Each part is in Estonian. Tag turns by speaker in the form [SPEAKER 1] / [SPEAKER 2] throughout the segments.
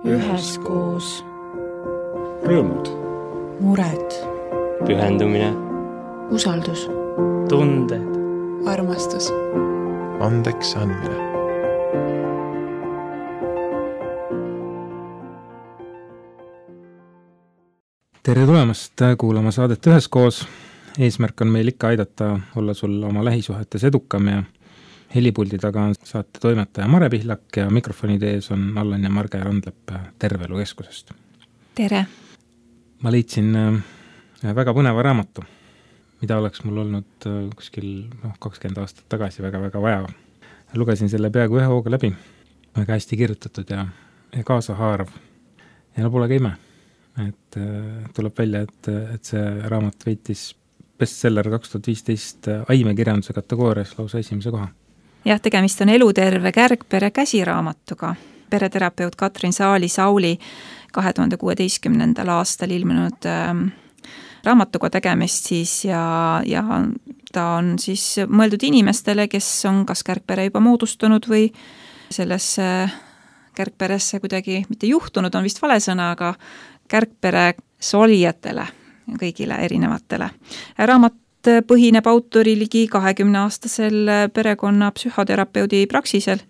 [SPEAKER 1] üheskoos.
[SPEAKER 2] Rõõmud.
[SPEAKER 1] Mured.
[SPEAKER 3] Pühendumine.
[SPEAKER 1] Usaldus.
[SPEAKER 3] Tunded.
[SPEAKER 1] Armastus.
[SPEAKER 4] Andeks andmine.
[SPEAKER 2] Tere tulemast kuulama saadet Üheskoos. Eesmärk on meil ikka aidata olla sul oma lähisuhetes edukam ja helipuldi taga on saate toimetaja Mare Pihlak ja mikrofonide ees on Allan ja Marge Randlepp Terveelu Keskusest.
[SPEAKER 1] Tere!
[SPEAKER 2] Ma leidsin väga põneva raamatu, mida oleks mul olnud kuskil 20 aastat tagasi väga-väga vaja. Lugesin selle peaaegu ühe hooga läbi, väga hästi kirjutatud ja kaasahaarav. Ja pole ka ime, et tuleb välja, et see raamat võitis bestseller 2015 aimekirjanduse kategoorias lausa esimese koha.
[SPEAKER 5] Jah, tegemist on Eluterve kärgpere käsiraamatuga. Pereterapeut Katrin Saali-Sauli 2016. aastal ilmunud raamatuga tegemist siis ja ta on siis mõeldud inimestele, kes on kas kärgpere juba moodustunud või sellesse kärgperesse kuidagi mitte juhtunud, on vist vale sõna, aga kärgpere solijatele, kõigile erinevatele. Raamat põhineb autori ligi 20-aastasel perekonna psühhoterapeudi praksisel,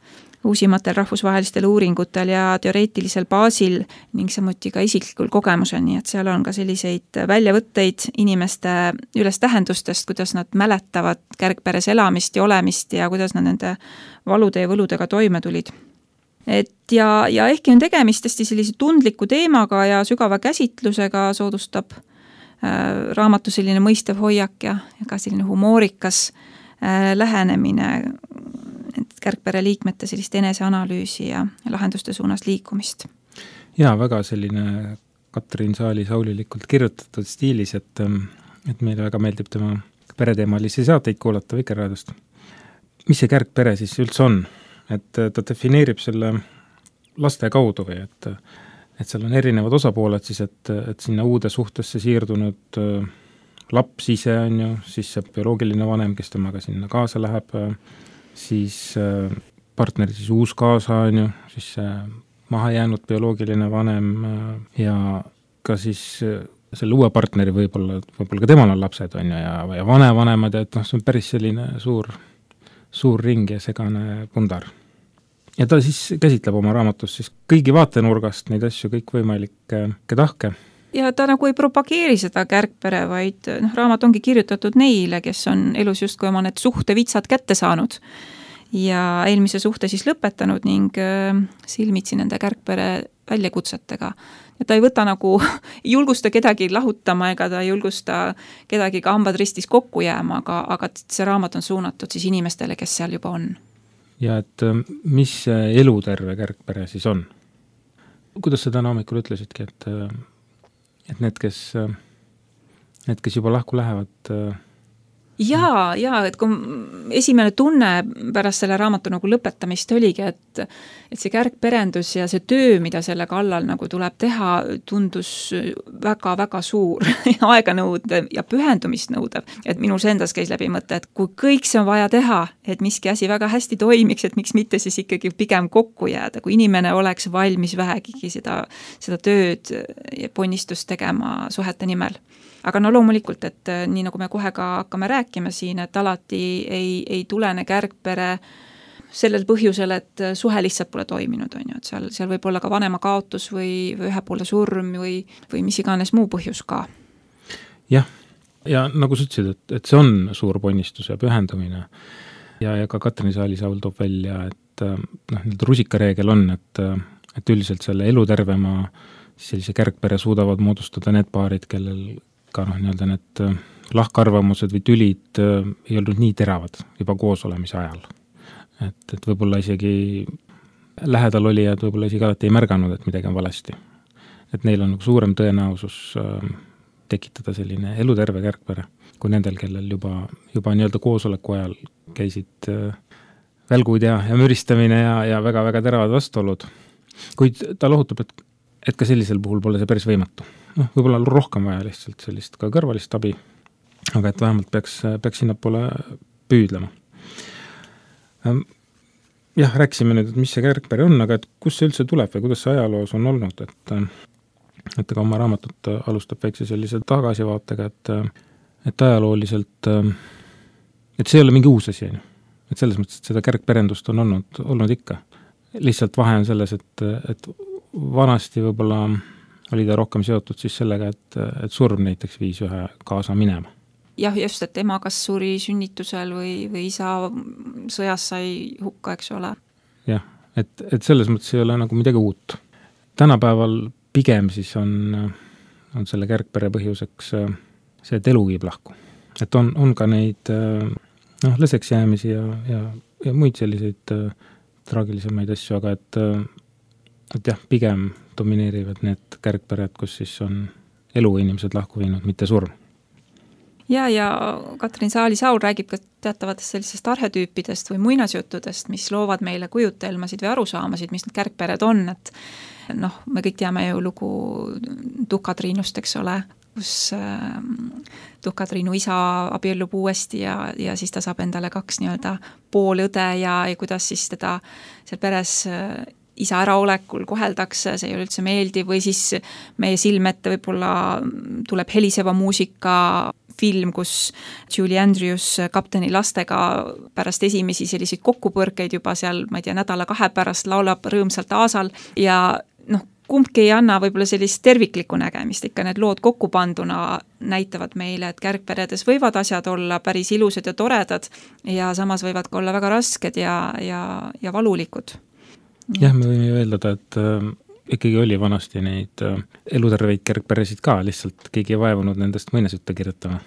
[SPEAKER 5] uusimatel rahvusvahelistel uuringutel ja teoreetilisel baasil ning samuti ka isiklikul kogemusel, nii et seal on ka selliseid väljavõtteid inimeste üles tähendustest, kuidas nad mäletavad kärgperes elamist ja olemist ja kuidas nad nende valude ja võludega toime tulid. Ja ehkki on tegemist hästi sellise tundliku teemaga ja sügava käsitlusega, soodustab raamatu selline mõistev hoiak ja ka selline humoorikas lähenemine kärgpere liikmete sellist eneseanalüüsi ja lahenduste suunas liikumist.
[SPEAKER 2] Ja väga selline Katrin Saali-Saulilikult kirjutatud stiilis, et meile väga meeldib tema pereteemalisi saateid kuulata Vikerraadiost. Mis see kärgpere siis üldse on? Et ta defineerib selle laste kaudu või et seal on erinevad osapooled siis, et sinna uude suhtesse siirdunud laps ise on ju, siis see bioloogiline vanem, kes temaga sinna kaasa läheb, siis partneri siis uus kaasa on ju, siis see maha jäänud bioloogiline vanem ja ka siis selle uue partneri võib-olla ka temal on lapsed on ju ja vanemad ja et see on päris selline suur ring ja segane pundar. Ja ta siis käsitleb oma raamatus siis kõigi vaatenurgast neid asju, kõik võimalikke tahke.
[SPEAKER 5] Ja ta nagu ei propageeri seda kärgpere, vaid raamat ongi kirjutatud neile, kes on elus justkui oma need suhtevitsad kätte saanud ja eelmise suhte siis lõpetanud ning silmitsi nende kärgpere väljakutsetega. Ja ta ei võta nagu, ei julgusta kedagi lahutama ega ta ei julgusta kedagi ka hambad ristis kokku jääma, aga see raamat on suunatud siis inimestele, kes seal juba on.
[SPEAKER 2] Ja et mis eluterve kärgpere siis on? Kuidas sa täna hommikul ütlesidki, et need, kes juba lahku lähevad?
[SPEAKER 5] Ja, et kui esimene tunne pärast selle raamatu nagu lõpetamist oligi, et see kärgperendus ja see töö, mida selle kallal nagu tuleb teha, tundus väga-väga suur aeganõudev ja pühendumist nõudev. Et minul endas käis läbi mõte, et kui kõik see on vaja teha, et miski asi väga hästi toimiks, et miks mitte siis ikkagi pigem kokku jääda, kui inimene oleks valmis vähegigi seda tööd ja ponnistust tegema suhete nimel. Aga loomulikult, et nii nagu me kohe ka hakkame rääkima siin, et alati ei tulene kärgpere sellel põhjusel, et suhe lihtsalt pole toiminud, on ju, et seal võib olla ka vanema kaotus või ühepoolne surm või mis iganes muu põhjus ka.
[SPEAKER 2] Jah, ja nagu sa ütlesid, et see on suur ponnistus ja pühendumine ja ka Katrin Saali-Saul toob välja, et rusikareegel on, et üldiselt selle elutervema sellise kärgpere suudavad moodustada need paarid, kellel ka need lahkarvamused või tülid ei olnud nii teravad juba koos olemise ajal. Et võib-olla isegi lähedal olijad võib-olla isegi alati ei märganud, et midagi on valesti. Et neil on suurem tõenäosus tekitada selline eluterve kärgpere, kui nendel, kellel juba nii-öelda koosoleku ajal käisid välgud ja müristamine ja väga-väga teravad vastuolud. Kuid ta lohutab, et ka sellisel puhul pole see päris võimatu. Võib-olla rohkem vaja lihtsalt sellist ka kõrvalist abi, aga et vähemalt peaks sinna poole püüdlema. jah, rääkisime nüüd, et mis see kärgpere on, aga et kus see üldse tuleb või kuidas see ajaloos on olnud, et ka oma raamatut alustab väikse sellise tagasivaatega, et ajalooliselt, et see ei ole mingi uus asi, et selles mõttes, et seda kärgperendust on olnud ikka. Lihtsalt vahe on selles, et vanasti võib-olla oli ta rohkem seotud siis sellega, et surm näiteks viis ühe kaasa minema.
[SPEAKER 5] Jah, just, et ema kas suri sünnitusel või isa sõjas sai hukka, eks ole.
[SPEAKER 2] Jah, et selles mõttes ei ole nagu midagi uut. Tänapäeval pigem siis on selle kärgpere põhjuseks see, et elu viib lahku. Et on ka neid lõseks jäämisi ja muid selliseid traagilisemaid asju, aga et jah, pigem domineerivad need kärgpered, kus siis on elu inimesed lahku viinud, mitte surm.
[SPEAKER 5] Ja Katrin Saali-Saul räägib ka teatavatest sellisest arhetüüpidest või muinasjuttudest, mis loovad meile kujutelmasid või arusaamasid, mis need kärgpered on, et me kõik teame ju lugu Tuhka-Triinust, eks ole, kus Tuhka-Triinu isa abiellub uuesti ja siis ta saab endale 2 nii-öelda poolõde ja kuidas siis teda seal peres isa äraolekul koheldakse, see ei ole üldse meeldiv, või siis meie silmette võib-olla tuleb heliseva muusika film, kus Julie Andrews kapteni lastega pärast esimesi selliseid kokkupõrkeid juba seal, ma ei tea, 1-2 pärast laulab rõõmsalt aasal ja kumbki ei anna võib-olla sellist terviklikku nägemist, ikka need lood kokkupanduna näitavad meile, et kärgperedes võivad asjad olla päris ilusad ja toredad ja samas võivad ka olla väga rasked ja valulikud.
[SPEAKER 2] Jah, me võime ju eeldada, et ikkagi oli vanasti neid eluterveid kärgperesid ka, lihtsalt keegi ei vaevunud nendest muinasjutte kirjutama.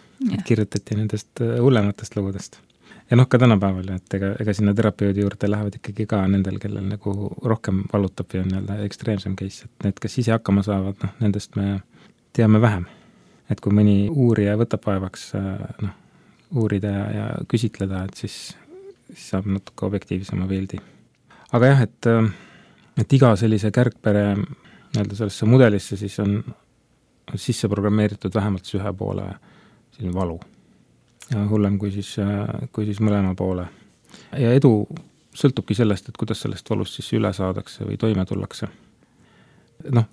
[SPEAKER 2] Kirjutati nendest hullematest lugudest. Ja ka tänapäeval, et ega sinna terapeudi juurde lähevad ikkagi ka nendel, kellel nagu rohkem valutab ja on nii-öelda ekstreemsem case, et need, kes ise hakkama saavad, nendest me teame vähem. Et kui mõni uurija võtab vaevaks uurida ja küsitleda, et siis saab natuke objektiivsema pildi. Aga jah, et iga sellise kärgpere nii-öelda sellesse mudelisse siis on sisse programmeeritud vähemalt ühe poole selline valu. Ja hullem kui siis mõlema poole. Ja edu sõltubki sellest, et kuidas sellest valust siis üle saadakse või toime tullakse.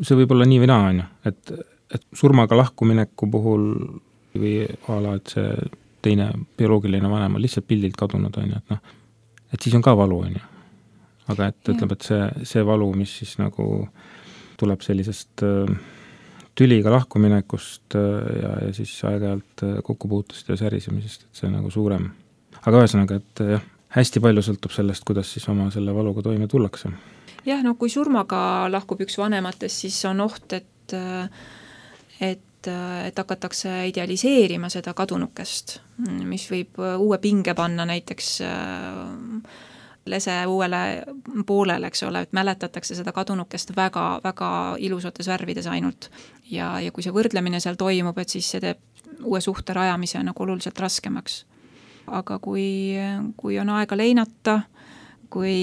[SPEAKER 2] See võib olla nii või naa, et surmaga lahkumineku puhul või ala, et see teine bioloogiline vanem on lihtsalt pildilt kadunud, et siis on ka valu, aga et ütleb, et see valu, mis siis nagu tuleb sellisest tüliga lahkuminekust ja siis aeg-ajalt kokkupuutust ja särisemisest, et see nagu suurem. Aga ühesõnaga, et hästi palju sõltub sellest, kuidas siis oma selle valuga toime tullakse.
[SPEAKER 5] Jah, kui surmaga lahkub üks vanematest, siis on oht, et hakatakse idealiseerima seda kadunukest, mis võib uue pinge panna näiteks lese uuele poolele, eks ole, et mäletatakse seda kadunukest väga, väga ilusates värvides ainult. Ja kui see võrdlemine seal toimub, et siis see teeb uue suhte rajamise nagu oluliselt raskemaks. Aga kui on aega leinata, kui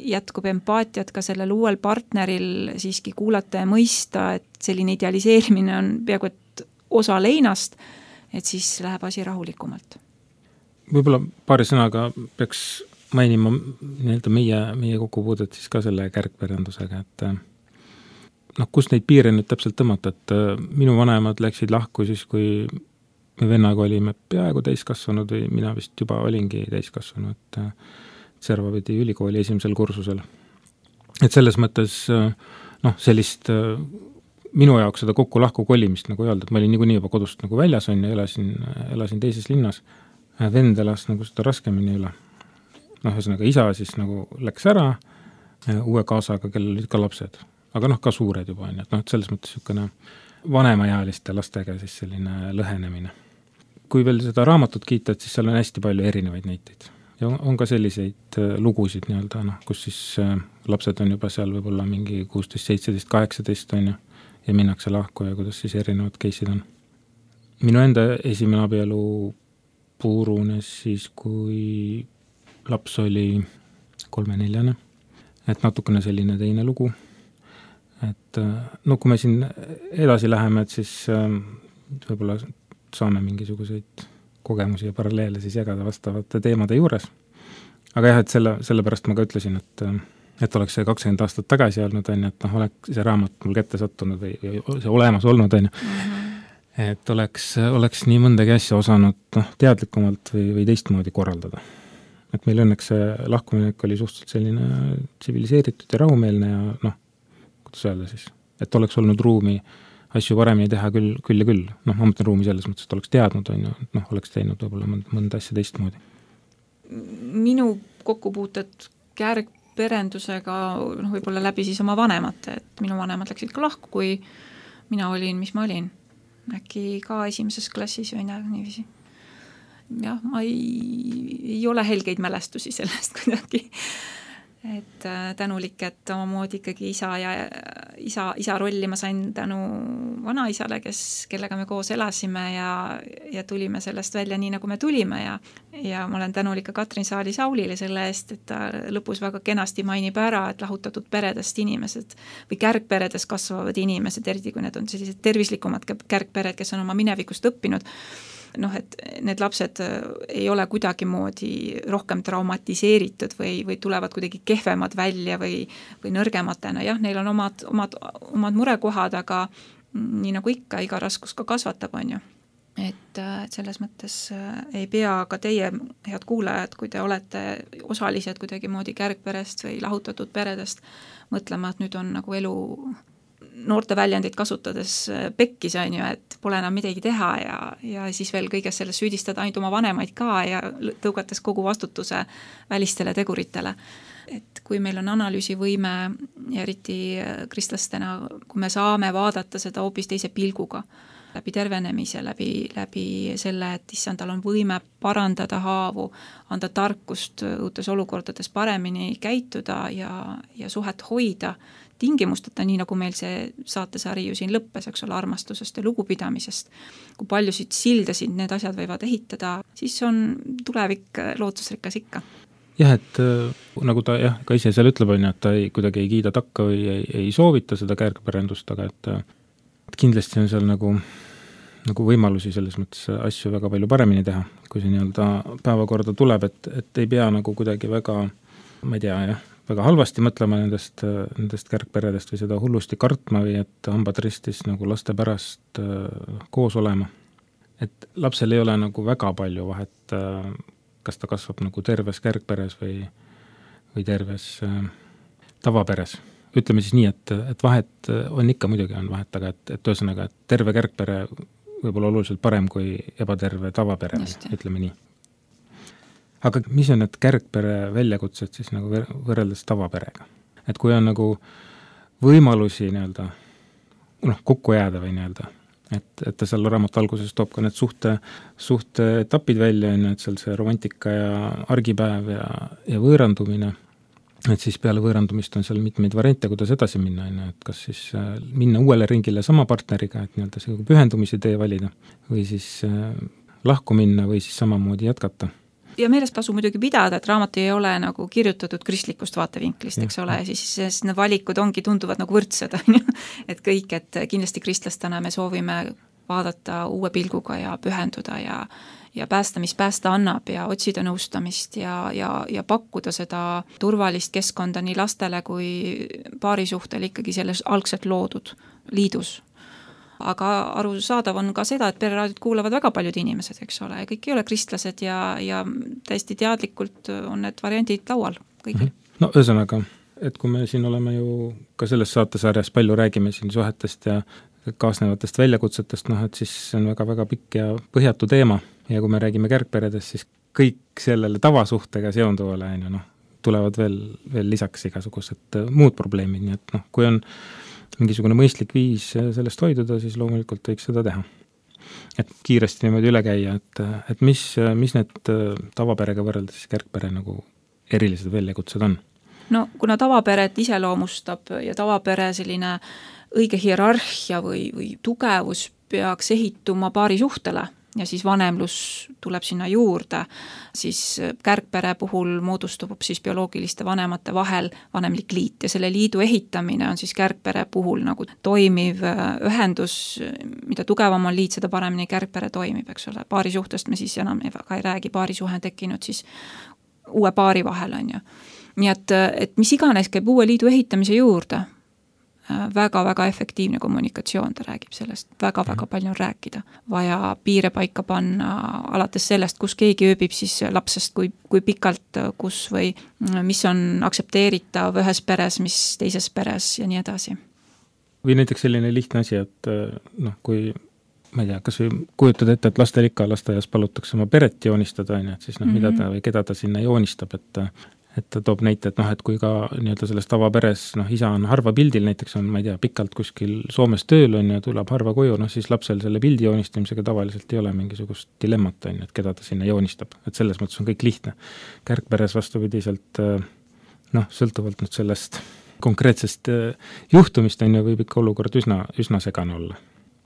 [SPEAKER 5] jätkub empaatiat ka sellel uuel partneril siiski kuulata ja mõista, et selline idealiseerimine on peaaegu et osa leinast, et siis läheb asi rahulikumalt. Võib-olla paari sõnaga peaks mainima nii-öelda meie kokkupuudet siis ka selle kärgperendusega, et kust neid piire nüüd täpselt tõmmata, et minu vanemad läksid lahku siis, kui me vennaga olime peaaegu täiskasvanud või mina vist juba olingi täiskasvanud, et Serva pidi ülikooli 1. kursusel. Et selles mõttes sellist minu jaoks seda kokku-lahku kolimist nagu öelda, et ma olin niikuinii juba kodust nagu väljas on ja elasin teises linnas. Vend elas nagu seda raskemini üle. Ühesõnaga isa siis nagu läks ära uue kaasaga, kellel olid ka lapsed, aga ka suured juba on, et selles mõttes niisugune vanemaealiste lastega siis selline lõhenemine. Kui veel seda raamatut kiita, et siis seal on hästi palju erinevaid näiteid. Ja on ka selliseid lugusid nii-öelda, kus siis lapsed on juba seal võib-olla mingi 16, 17, 18 on ja minnakse lahku ja kuidas siis erinevad case'id on. Minu enda esimene abielu puurunes siis, kui laps oli 3-4, et natukene selline teine lugu. Et kui me siin edasi läheme, et siis võib-olla saame mingisuguseid kogemusi ja paralleele siis jagada vastavate teemade juures.
[SPEAKER 2] aga jah, et sellepärast ma ka ütlesin, et oleks see 20 aastat tagasi olnud, on ju, et noh, oleks see raamat mul kätte sattunud või see olemas olnud, on ju. Et oleks nii mõndagi asja osanud teadlikumalt või teistmoodi korraldada. Et meil õnneks see lahkumine oli suhteliselt selline tsiviliseeritud ja rahumeelne ja kuidas öelda siis, et oleks olnud ruumi asju paremini teha küll ja küll. Ma mõtlen ruumi selles mõttes, et oleks teadnud, on ju, oleks teinud võib-olla mõnda asja teistmoodi.
[SPEAKER 5] Minu kokkupuuted kärgperendusega võib-olla läbi siis oma vanemate, et minu vanemad läksid ka lahku, kui mina olin, mis ma olin. Äkki ka esimeses klassis või niiviisi. Jah, ma ei ole helgeid mälestusi sellest kuidagi. Et tänulik, et omamoodi ikkagi isa rolli ma sain tänu vanaisale, kellega me koos elasime ja tulime sellest välja nii, nagu me tulime ja ma olen tänulik ka Katrin Saali-Saulile selle eest, et ta lõpus väga kenasti mainib ära, et lahutatud peredest inimesed või kärgperedes kasvavad inimesed, eriti kui need on sellised tervislikumad kärgpered, kes on oma minevikust õppinud, et need lapsed ei ole kuidagi moodi rohkem traumatiseeritud või tulevad kuidagi kehvemad välja või nõrgematena. Jah, neil on omad murekohad, aga nii nagu ikka, iga raskus ka kasvatab, on ju. Et selles mõttes ei pea ka teie, head kuulajad, kui te olete osalised kuidagi moodi kärgperest või lahutatud peredest, mõtlema, et nüüd on nagu elu noorte väljendit kasutades pekkis, on ju, et pole enam midagi teha ja siis veel kõiges selles süüdistada ainult oma vanemaid ka ja tõugates kogu vastutuse välistele teguritele. Et kui meil on analüüsivõime ja eriti kristlastena, kui me saame vaadata seda hoopis teise pilguga, läbi tervenemise, läbi selle, et issand, tal on võime parandada haavu, anda tarkust uutes olukordades paremini käituda ja suhet hoida tingimusteta, nii nagu meil see saatesari ju siin lõppes, eks ole, armastusest ja lugupidamisest. Kui paljusid sildasid need asjad võivad ehitada, siis on tulevik lootusrikas ikka.
[SPEAKER 2] Jah, et nagu ta ka ise seal ütleb, on, et ta kuidagi ei kiida takka või ei soovita seda kärgperendust, aga et kindlasti on seal nagu võimalusi selles mõttes asju väga palju paremini teha, kui see nii-öelda päevakorda tuleb, et ei pea nagu kuidagi väga, ma ei tea, väga halvasti mõtlema nendest kärgperedest või seda hullusti kartma või et hambad ristis nagu laste pärast koos olema. Et lapsel ei ole nagu väga palju vahet, kas ta kasvab nagu terves kärgperes või terves tavaperes. Ütleme siis nii, et vahet on ikka, muidugi on vahet, aga et ühesõnaga, et terve kärgpere võib-olla oluliselt parem kui ebaterve tavapere, ütleme nii. Aga mis on need kärgpere väljakutsed siis nagu võrreldes tavaperega? Et kui on nagu võimalusi nii-öelda kokku jääda või nii-öelda, et ta seal raamat alguses toob ka need suhte etapid välja, et seal see romantika ja argipäev ja võõrandumine, et siis peale võõrandumist on seal mitmeid variante, kuidas edasi minna, et kas siis minna uuele ringile sama partneriga, et nii-öelda see pühendumise tee valida või siis lahku minna või siis samamoodi jätkata.
[SPEAKER 5] Ja meeles tasu muidugi pidada, et raamat ei ole nagu kirjutatud kristlikust vaatevinklist, eks ole, siis need valikud tunduvad nagu võrdsed, et kõik, et kindlasti kristlastena me soovime vaadata uue pilguga ja pühenduda ja päästa, mis päästa annab ja otsida nõustamist ja pakkuda seda turvalist keskkonda nii lastele kui paarisuhtel ikkagi selles algselt loodud liidus. Aga arusaadav on ka seda, et pereraadiot kuulavad väga paljud inimesed, eks ole, kõik ei ole kristlased ja täiesti teadlikult on need variandid laual kõigil.
[SPEAKER 2] No ühesõnaga, et kui me siin oleme ju ka selles saatesarjas palju räägime siin suhetest ja kaasnevatest väljakutsetest, et siis see on väga-väga pikk ja põhjatu teema ja kui me räägime kärgperedest, siis kõik sellele tavasuhtega seonduvale tulevad veel lisaks igasugused muud probleemid, nii et kui on mingisugune mõistlik viis sellest hoiduda, siis loomulikult võiks seda teha. Et kiiresti niimoodi üle käia, et mis need tavaperega võrreldes kärgpere nagu erilised väljakutsed on?
[SPEAKER 5] No kuna tavaperet iseloomustab ja tavapere selline õige hierarhia või tugevus peaks ehituma paari suhtele ja siis vanemlus tuleb sinna juurde, siis kärgpere puhul moodustub siis bioloogiliste vanemate vahel vanemlik liit ja selle liidu ehitamine on siis kärgpere puhul nagu toimiv ühendus, mida tugevam on liit, seda paremini kärgpere toimib, eks ole. Paarisuhtest me siis enam väga ei räägi, paarisuhe tekkinud siis uue paari vahel, on ju. Nii et mis iganes käib uue liidu ehitamise juurde, väga-väga efektiivne kommunikatsioon, ta räägib sellest, väga-väga palju on rääkida. Vaja piire paika panna alates sellest, kus keegi ööbib siis lapsest, kui pikalt, kus või mis on aktsepteeritav ühes peres, mis teises peres ja nii edasi.
[SPEAKER 2] Või näiteks selline lihtne asi, et kui ma ei tea, kas või kujutad ette, et lastel ikka lasteaias palutakse oma peret joonistada, et siis mida ta või keda ta sinna joonistab, et ta toob näite, et kui ka nii-öelda selles tavaperes, isa on harva pildil, näiteks on, ma ei tea, pikalt kuskil Soomes tööl on ja tuleb harva koju, siis lapsel selle pildi joonistamisega tavaliselt ei ole mingisugust dilemmat, et keda ta sinna joonistab. Et selles mõttes on kõik lihtne. Kärgperes vastupidiselt, sõltuvalt nüüd sellest konkreetsest juhtumist võib ikka olukord üsna segane olla.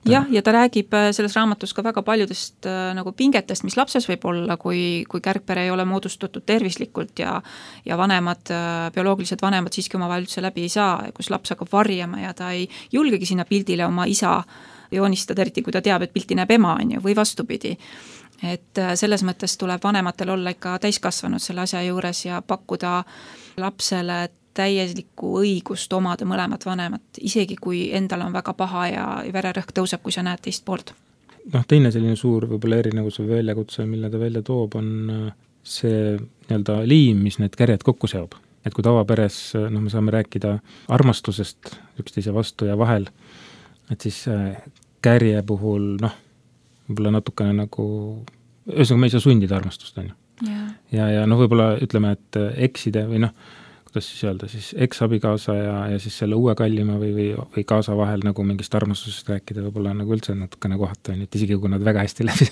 [SPEAKER 5] Jah, ja ta räägib selles raamatus ka väga paljudest nagu pingetest, mis lapses võib olla, kui kärgpere ei ole moodustatud tervislikult ja vanemad, bioloogilised vanemad siiski oma vahel üldse läbi ei saa, kus laps hakkab varjama ja ta ei julgegi sinna pildile oma isa joonistada, eriti kui ta teab, et pilti näeb ema, on ju, või vastupidi. Et selles mõttes tuleb vanematel olla ikka täiskasvanud selle asja juures ja pakkuda lapsele täielikku õigust omada mõlemat vanemat, isegi kui endal on väga paha ja vererõhk tõuseb, kui sa näed teist poolt.
[SPEAKER 2] Teine selline suur võib-olla erinevus või väljakutse, mille ta välja toob, on see nii-öelda liim, mis need kärjed kokku seob. Et kui tavaperes me saame rääkida armastusest üksteise vastu ja vahel, et siis kärje puhul võib-olla natukene nagu, ühesõnaga me ei saa sundida armastust, on ju. Ja võib-olla ütleme, et ekside või kuidas siis öelda, siis eks-abikaasa ja siis selle uue kallima või kaasa vahel nagu mingist armastusest rääkida võib-olla nagu üldse natukene kohata, et isegi kui nad väga hästi läbi.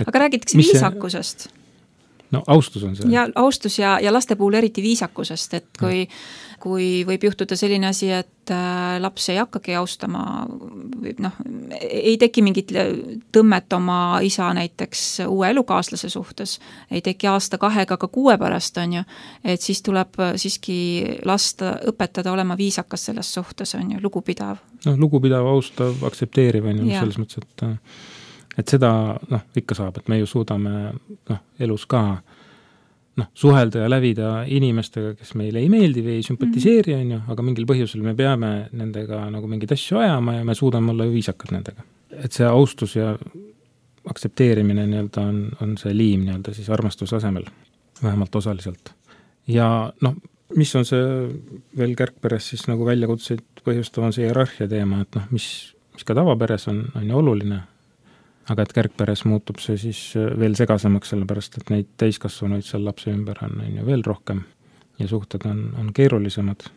[SPEAKER 5] Aga räägitakse viisakusest.
[SPEAKER 2] Austus on see.
[SPEAKER 5] Ja austus ja laste puhul eriti viisakusest, et kui võib juhtuda selline asi, et laps ei hakkagi austama, ei teki mingit tõmmet oma isa näiteks uue elukaaslase suhtes, ei teki aasta 2 ka 6 pärast, on ju, et siis tuleb siiski lasta õpetada olema viisakas selles suhtes, on ju, lugupidav.
[SPEAKER 2] Lugupidav, austav, aktsepteeriv, on ju, selles mõttes, et seda ikka saab, et me ju suudame elus ka suhelda ja lävida inimestega, kes meile ei meeldi või ei sümpatiseeri, on ju, aga mingil põhjusel me peame nendega nagu mingid asju ajama ja me suudame olla viisakad nendega. Et see austus ja aktsepteerimine nii-öelda on see liim nii-öelda siis armastuse asemel, vähemalt osaliselt. Ja mis on see veel kärgperes siis nagu väljakutseid põhjustav on see hierarhia teema, et mis ka tavaperes on ju oluline, aga et kärgperes muutub see siis veel segasemaks, sellepärast, et neid täiskasvanuid seal lapse ümber on ju veel rohkem ja suhted on keerulisemad.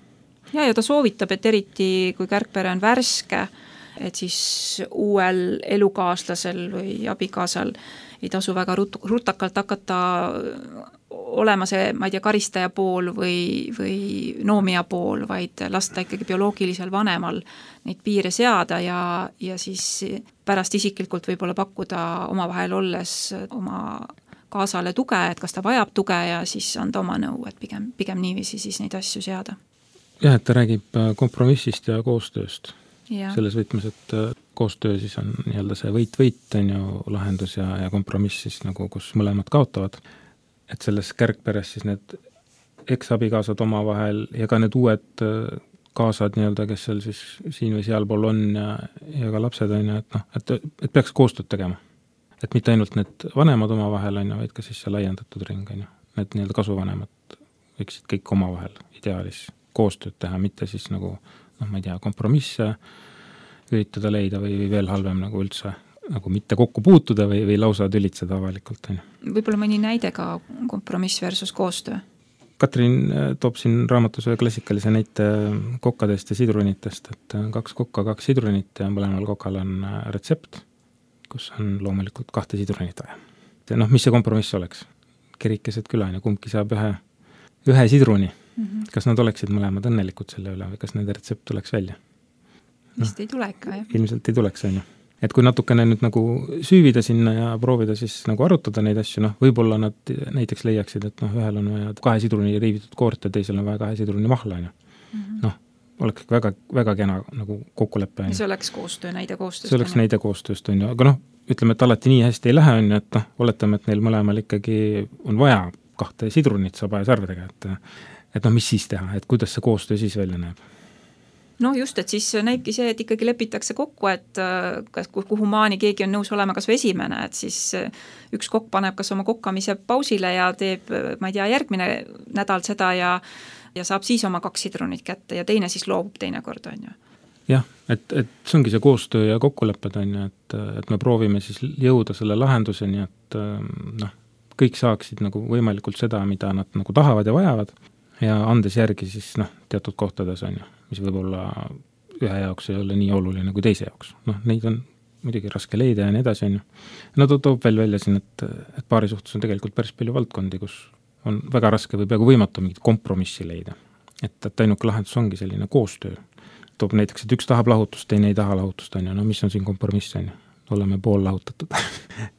[SPEAKER 5] Ja ta soovitab, et eriti kui kärgpere on värske, et siis uuel elukaaslasel või abikaasal ei tasu väga rutakalt hakata olema see, ma ei tea, karistaja pool või noomija pool, vaid lasta ikkagi bioloogilisel vanemal neid piire seada ja siis pärast isiklikult võib-olla pakkuda omavahel olles oma kaasale tuge, et kas ta vajab tuge ja siis anda oma nõu, et pigem niiviisi siis neid asju seada.
[SPEAKER 2] Jah, et ta räägib kompromissist ja koostööst.
[SPEAKER 5] Ja.
[SPEAKER 2] Selles võtmes, et koostöö siis on nii-öelda see võit on ju lahendus ja kompromiss siis nagu, kus mõlemad kaotavad. Et selles kärgperes siis need eks-abikaasad omavahel ja ka need uued kaasad nii-öelda, kes seal siis siin või sealpool on ja ka lapsed on ju, et peaks koostööd tegema. Et mitte ainult need vanemad omavahel on ju, vaid ka siis see laiendatud ring on ju. Need nii-öelda kasuvanemad võiksid kõik omavahel ideaalis koostööd teha, mitte siis nagu ma ei tea, kompromisse üritada leida või veel halvem nagu üldse nagu mitte kokku puutuda või lausa tülitseda avalikult.
[SPEAKER 5] Võib-olla mõni näide ka kompromiss versus koostöö?
[SPEAKER 2] Katrin toob siin raamatus ühe klassikalise näite kokkadest ja sidrunitest, et 2 kokka, 2 sidrunit ja mõlemal kokal on retsept, kus on loomulikult 2 sidrunit vaja. Mis see kompromiss oleks? Kerikesed küla ja kumbki saab ühe sidruni. Kas nad oleksid mõlemad õnnelikud selle üle või kas nende retsept tuleks välja?
[SPEAKER 5] Vist ei tule ikka, jah.
[SPEAKER 2] Ilmselt ei tuleks, on ju. Et kui natukene nüüd nagu süüvida sinna ja proovida siis nagu arutada neid asju, võib-olla nad näiteks leiaksid, et ühel on vaja 2 sidruni riivitud koort ja teisel on vaja 2 sidruni mahla, on ju. Oleks väga, väga kena nagu kokkuleppe.
[SPEAKER 5] Ja see oleks koostöö, näide koostööst.
[SPEAKER 2] See oleks näide koostööst, on ju. Aga ütleme, et alati nii hästi ei lähe, on ju, et oletame, et neil mõlemal ikkagi on vaja 2 sidrunit sabaja-sarvedega, et noh, mis siis teha, et kuidas see koostöö siis välja näeb?
[SPEAKER 5] No just, et siis näibki see, et ikkagi lepitakse kokku, et kas, kuhu maani keegi on nõus olema kas või esimene, et siis üks kokk paneb kas oma kokkamise pausile ja teeb, ma ei tea, järgmine nädal seda ja saab siis oma 2 sidrunit kätte ja teine siis loobub teinekord, on ju.
[SPEAKER 2] Jah, et see ongi see koostöö ja kokkulepped, on ju, et me proovime siis jõuda selle lahenduseni, et noh, kõik saaksid nagu võimalikult seda, mida nad nagu tahavad ja vajavad ja andes järgi siis noh, teatud kohtades, on ju, mis võib-olla ühe jaoks ei ole nii oluline kui teise jaoks. Noh, neid on muidugi raske leida ja nii edasi, on ju. No toob veel välja siin, et paari suhtes on tegelikult päris palju valdkondi, kus on väga raske või peaaegu võimatu mingit kompromissi leida. Et ainuke lahendus ongi selline koostöö. Toob näiteks, et üks tahab lahutust, teine ei taha lahutust, on ju. No mis on siin kompromiss, on ju? Oleme pool lahutatud.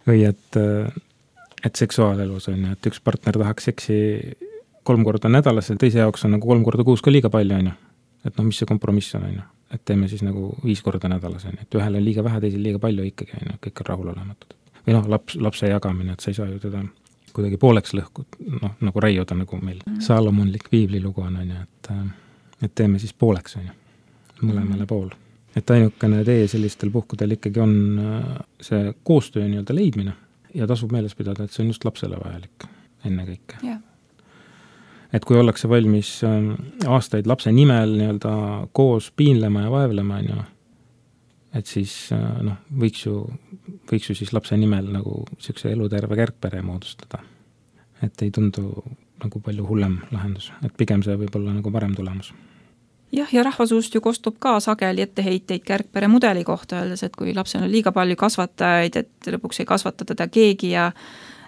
[SPEAKER 2] või et seksuaalelus on ju, et üks partner tahaks seksi 3 korda nädalas ja teise jaoks on nagu 3 korda kuus ka liiga palju, on ju. Et noh, mis see kompromiss on, ju? Et teeme siis nagu 5 korda nädalas, on ju. Et ühele on liiga vähe, teisel liiga palju ikkagi, on ju. Kõik on rahulolematud. Või noh, lapse jagamine, et sa ei saa ju teda kuidagi pooleks lõhkud, noh, nagu raiuda, nagu meil Saalomonlik piiblilugu on ju, et teeme siis pooleks, on ju, mõlemale pool. Et ainukene tee sellistel puhkudel ikkagi on see koostöö nii-öelda leidmine ja tasub meeles pidada, et see on just lapsele vajalik enne kõike.
[SPEAKER 5] Yeah.
[SPEAKER 2] Et kui ollakse valmis aastaid lapse nimel nii-öelda koos piinlema ja vaevlema, on ju, et siis noh, võiks ju siis lapse nimel nagu selline eluterve kärgpere moodustada. Et ei tundu nagu palju hullem lahendus, et pigem see võib olla nagu parem tulemus.
[SPEAKER 5] Jah, ja rahvasuust ju kostub ka sageli etteheiteid kärgpere mudeli kohta, öeldes, et kui lapsel on liiga palju kasvatajaid, et lõpuks ei kasvata teda keegi ja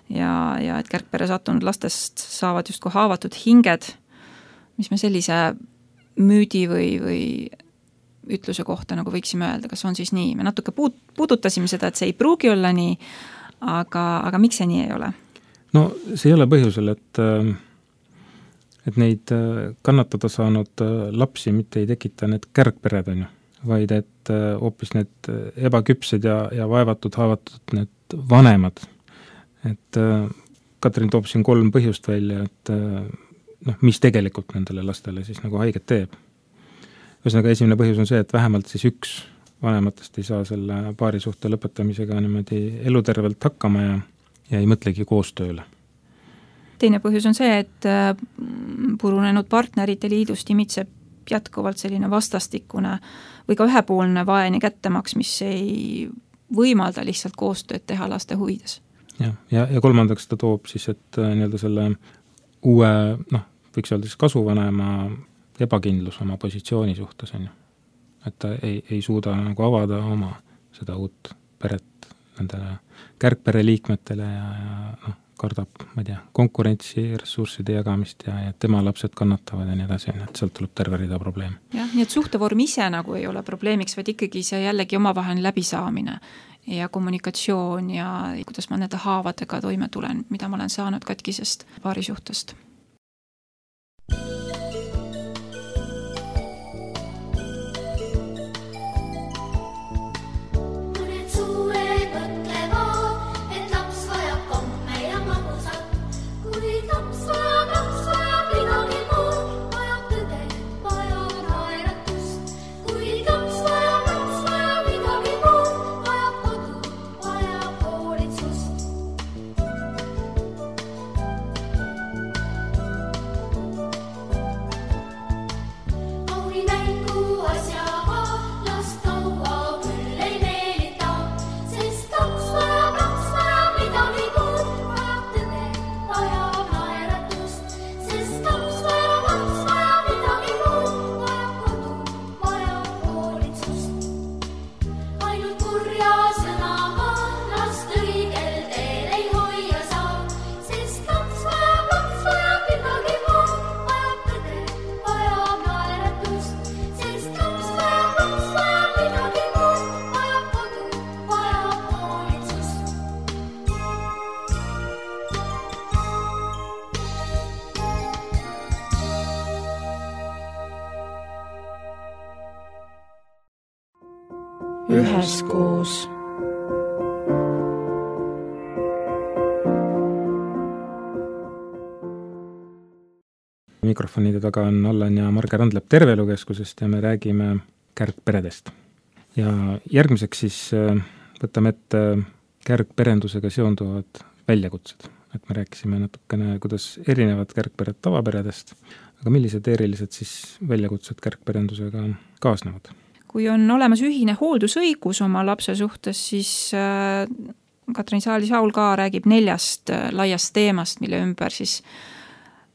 [SPEAKER 5] et kärgpere sattunud lastest saavad justkui haavatud hinged, mis me sellise müüdi või ütluse kohta nagu võiksime öelda, kas on siis nii. Me natuke puudutasime seda, et see ei pruugi olla nii, aga miks see nii ei ole?
[SPEAKER 2] No see ei ole põhjusel, et neid kannatada saanud lapsi mitte ei tekita need kärgpered, on ju, vaid et hoopis need ebaküpsed ja vaevatud, haavatud need vanemad. Et Katrin toob siin 3 põhjust välja, et noh, mis tegelikult nendele lastele siis nagu haiget teeb. Ühesõnaga esimene põhjus on see, et vähemalt siis üks vanematest ei saa selle paarisuhte lõpetamisega niimoodi elutervelt hakkama ja ei mõtlegi koostööle.
[SPEAKER 5] Teine põhjus on see, et purunenud partnerite liidust imitseb jätkuvalt selline vastastikune või ka ühepoolne vaene kättemaks, mis ei võimalda lihtsalt koostööd teha laste huvides.
[SPEAKER 2] Ja kolmandaks ta toob siis, et nii-öelda selle uue, noh, võiks öelda siis kasuvanema ebakindlus oma positsiooni suhtes, on ju. Et ta ei suuda nagu avada oma seda uut peret nendele kärgpere liikmetele ja noh, kardab, ma ei tea, konkurentsi, ressursside jagamist ja tema lapsed kannatavad ja nii edasi, et sealt tuleb terve rida probleeme.
[SPEAKER 5] Jah, nii et suhtevorm ise nagu ei ole probleemiks, vaid ikkagi see jällegi omavahel läbisaamine ja kommunikatsioon ja kuidas ma nende haavadega toime tulen, mida ma olen saanud katkisest paarisuhtest.
[SPEAKER 1] Üheskoos.
[SPEAKER 2] mikrofonide taga on Allan ja Marge Randlep Terveelukeskusest ja me räägime kärgperedest. Ja järgmiseks siis võtame ette kärgperendusega seonduvad väljakutsed. Et me rääkisime natukene, kuidas erinevad kärgpered tavaperedest, aga millised erilised siis väljakutsed kärgperendusega kaasnevad?
[SPEAKER 5] Kui on olemas ühine hooldusõigus oma lapse suhtes, siis Katrin Saali-Saul ka räägib 4 laiast teemast, mille ümber siis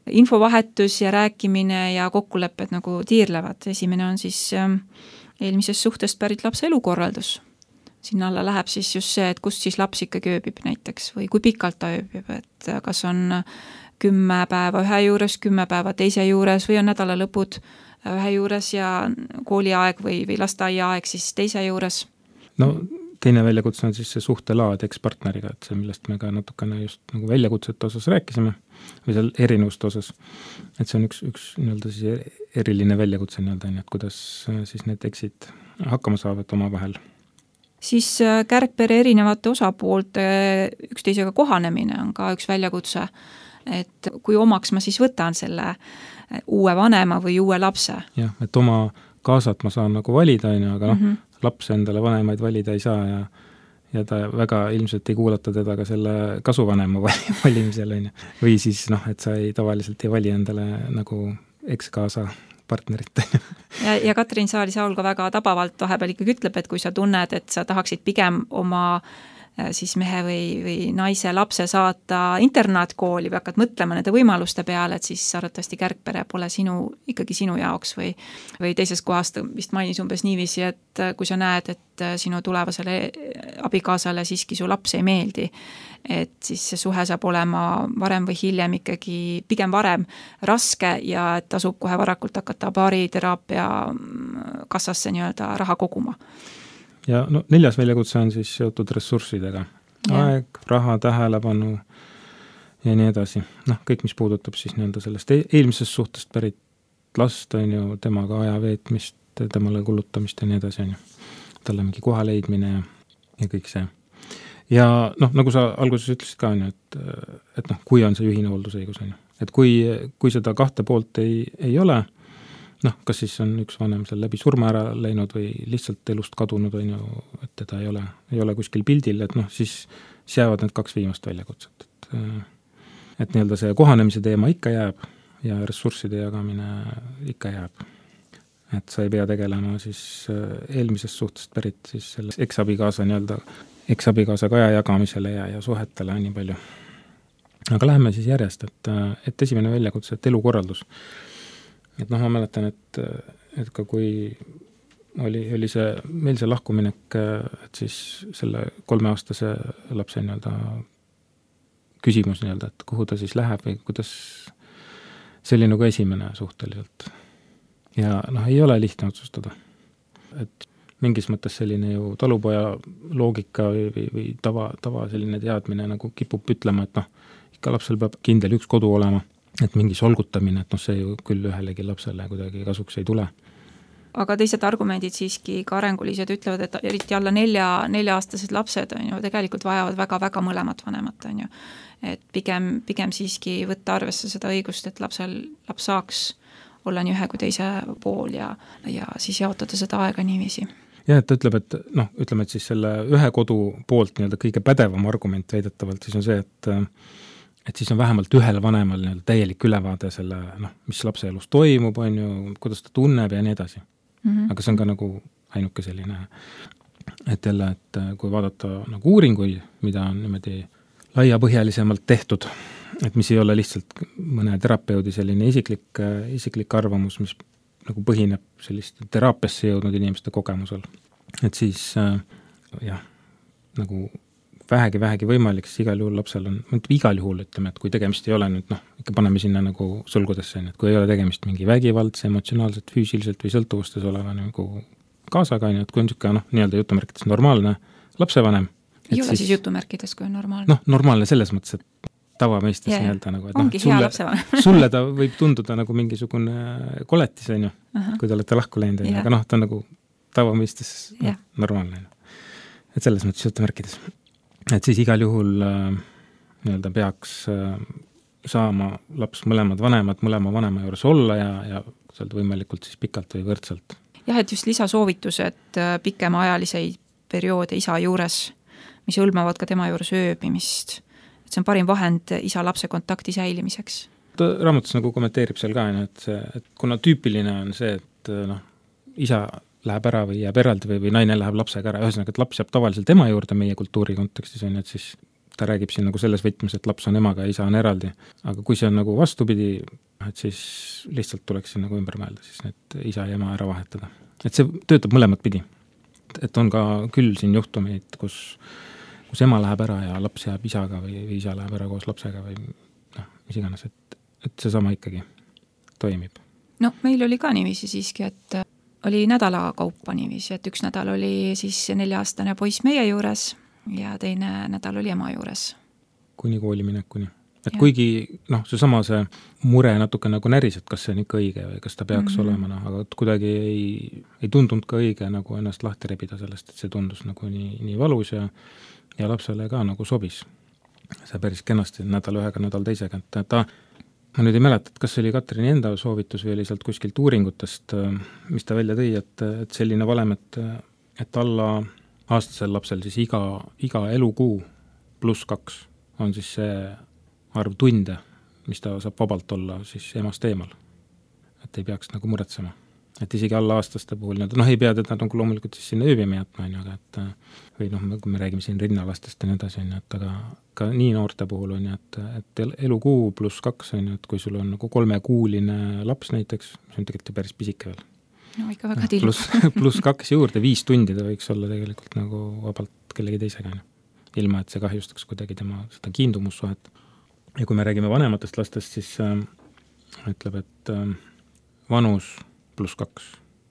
[SPEAKER 5] infovahetus ja rääkimine ja kokkulepped nagu tiirlevad. Esimene on siis eelmisest suhtest pärit lapse elukorraldus. Sinna alla läheb siis just see, et kust siis laps ikkagi ööbib näiteks või kui pikalt ta ööbib, et kas on 10 päeva ühe juures, 10 päeva teise juures või on nädalalõpud ühe juures ja kooliaeg või lasteaiaaeg siis teise juures.
[SPEAKER 2] No teine väljakutse on siis see suhtelaad ekspartneriga, et see, millest me ka natukene just nagu väljakutsete osas rääkisime või seal erinevuste osas, et see on üks nii-öelda siis eriline väljakutse nii-öelda, et kuidas siis need eksid hakkama saavad oma vahel.
[SPEAKER 5] Siis kärgpere erinevate osapoolte üksteisega kohanemine on ka üks väljakutse, et kui omaks ma siis võtan selle uue vanema või uue lapse.
[SPEAKER 2] Jah, et oma kaasat ma saan nagu valida, aga laps endale vanemaid valida ei saa ja ta väga ilmselt ei kuulata teda ka selle kasuvanema valimisel. Või siis, et sa tavaliselt ei vali endale nagu eks-kaasa partnerit.
[SPEAKER 5] Ja Katrin Saali-Saul ka väga tabavalt vahepeal ikkagi ütleb, et kui sa tunned, et sa tahaksid pigem oma siis mehe või naise lapse saata internaatkooli või hakkad mõtlema nende võimaluste peale, et siis arvatavasti kärgpere pole ikkagi sinu jaoks või teises kohast vist mainis umbes niiviisi, et kui sa näed, et sinu tulevasele abikaasale siiski su laps ei meeldi, et siis see suhe saab olema varem või hiljem ikkagi pigem varem raske ja et tasub kohe varakult hakata baariteraapia kassasse nii-öelda raha koguma.
[SPEAKER 2] Ja 4. väljakutse on siis seotud ressurssidega. Aeg, raha, tähelepanu ja nii edasi. Kõik, mis puudutab siis nii-öelda sellest eelmisest suhtest pärit last, on ju, temaga aja veetmist, temale kulutamist ja nii edasi, on ju. Talle mingi koha leidmine ja kõik see. Ja nagu sa alguses ütlesid ka, on ju, et kui on see ühine hooldusõigus, on ju. Et kui seda 2 poolt ei ole, kas siis on üks vanem seal läbi surma ära läinud või lihtsalt elust kadunud, on ju, et teda ei ole kuskil pildil, et siis jäävad need 2 viimast väljakutset. Et nii-öelda see kohanemise teema ikka jääb ja ressursside jagamine ikka jääb. Et sa ei pea tegelema siis eelmisest suhtest pärit siis selle eksabikaasa kaja jagamisele ja suhetele nii palju. Aga läheme siis järjest, et esimene väljakutse, et elukorraldus. Et ma mäletan, et ka kui oli meil see lahkuminek, et siis selle 3-aastase lapse nii-öelda küsimus nii-öelda, et kuhu ta siis läheb või kuidas see oli nagu esimene suhteliselt. Ja ei ole lihtne otsustada. Et mingis mõttes selline ju talupoja loogika või tava selline teadmine nagu kipub ütlema, et ikka lapsel peab kindel üks kodu olema. Et mingi solgutamine, et see ju küll ühelegi lapsele kuidagi kasuks ei tule.
[SPEAKER 5] Aga teised argumendid siiski ka arengulised ütlevad, et eriti alla 4-aastased lapsed on ju, tegelikult vajavad väga-väga mõlemat vanemat, on ju. Et pigem siiski võtta arvesse seda õigust, et laps saaks olla nii ühe kui teise pool ja siis jaotada seda aega niiviisi.
[SPEAKER 2] Ja, et ta ütleb, ütleme, et siis selle ühe kodu poolt nii-öelda kõige pädevam argument väidetavalt siis on see, et siis on vähemalt ühel vanemal nii-öelda täielik ülevaade selle, mis lapse elus toimub, on ju, kuidas ta tunneb ja nii edasi. Aga see on ka nagu ainuke selline, et jälle, et kui vaadata nagu uuringuid, mida on niimoodi laiapõhjalisemalt tehtud, et mis ei ole lihtsalt mõne terapeudi selline isiklik arvamus, mis nagu põhineb sellist teraapiasse jõudnud inimeste kogemusel. Et siis nagu vähegi võimalik, siis igal juhul lapsel on, igal juhul ütleme, et kui tegemist ei ole nüüd, ikka paneme sinna nagu sulgudesse, et kui ei ole tegemist mingi vägivaldse, emotsionaalselt, füüsiliselt või sõltuvustes oleva nagu kaasaga, et kui on niisugune, nii-öelda jutumärkides normaalne lapsevanem.
[SPEAKER 5] Ei ole siis jutumärkides, kui on normaalne?
[SPEAKER 2] Normaalne selles mõttes, et tavamõistes nii-öelda nagu, et
[SPEAKER 5] ongi hea lapsevanem.
[SPEAKER 2] Sulle ta võib tunduda nagu mingisugune koletis, on ju, kui te olete lahku läinud, aga ta on nagu tavamõistes normaalne. Et selles mõttes jutumärkides. Et siis igal juhul nii-öelda peaks saama laps mõlemad vanemad mõlema vanema juures olla ja sealt võimalikult siis pikalt või võrdselt.
[SPEAKER 5] Jah, et just lisasoovitused pikemaajaliseid perioode isa juures, mis hõlmavad ka tema juures ööbimist. Et see on parim vahend isa-lapse kontakti säilimiseks.
[SPEAKER 2] Ta raamatus nagu kommenteerib seal ka, et kuna tüüpiline on see, et isa läheb ära või jääb eraldi või naine läheb lapsega ära, ühesõnaga, et laps jääb tavaliselt ema juurde meie kultuuri kontekstis, on, et siis ta räägib siin nagu selles võtmes, et laps on emaga ja isa on eraldi. Aga kui see on nagu vastupidi, et siis lihtsalt tuleks siin nagu ümber mõelda, siis need isa ja ema ära vahetada. Et see töötab mõlemat pidi. Et on ka küll siin juhtumeid, kus ema läheb ära ja laps jääb isaga või isa läheb ära koos lapsega või mis iganes, et see sama ikkagi toimib.
[SPEAKER 5] No meil oli ka niiviisi siiski, et oli nädala kaupa niiviisi, et üks nädal oli siis 4-aastane poiss meie juures ja teine nädal oli ema juures. Kuni
[SPEAKER 2] kooli minekuni. Et ja. Kuigi see mure natuke nagu näris, et kas see on ikka õige või kas ta peaks olema, aga kuidagi ei tundunud ka õige nagu ennast lahti rebida sellest, et see tundus nagu nii valus ja lapsele ka nagu sobis. See päris kenasti nädal ühega, nädal teisega. Ma nüüd ei mäleta, et kas see oli Katrini enda soovitus või oli sealt kuskilt uuringutest, mis ta välja tõi, et selline valem, et alla aastasel lapsel siis iga elukuu +2 on siis see arv tunde, mis ta saab vabalt olla siis emast eemal. Et ei peaks nagu muretsema. Et isegi alla aastaste puhul, ei pea teda nagu loomulikult siis sinna ööbima jätma, aga või kui me räägime siin rinnalastest ja nii edasi, aga ka nii noorte puhul on, et elukuu +2 on, et kui sul on nagu 3-kuuline laps näiteks, see on tegelikult päris pisike veel.
[SPEAKER 5] No ikka väga tillu.
[SPEAKER 2] +2 juurde, 5 tundi ta võiks olla tegelikult nagu vabalt kellegi teisega, ilma et see kahjustaks kuidagi tema seda kiindumussuhet. Ja kui me räägime vanematest lastest, siis ütleb, et vanus +2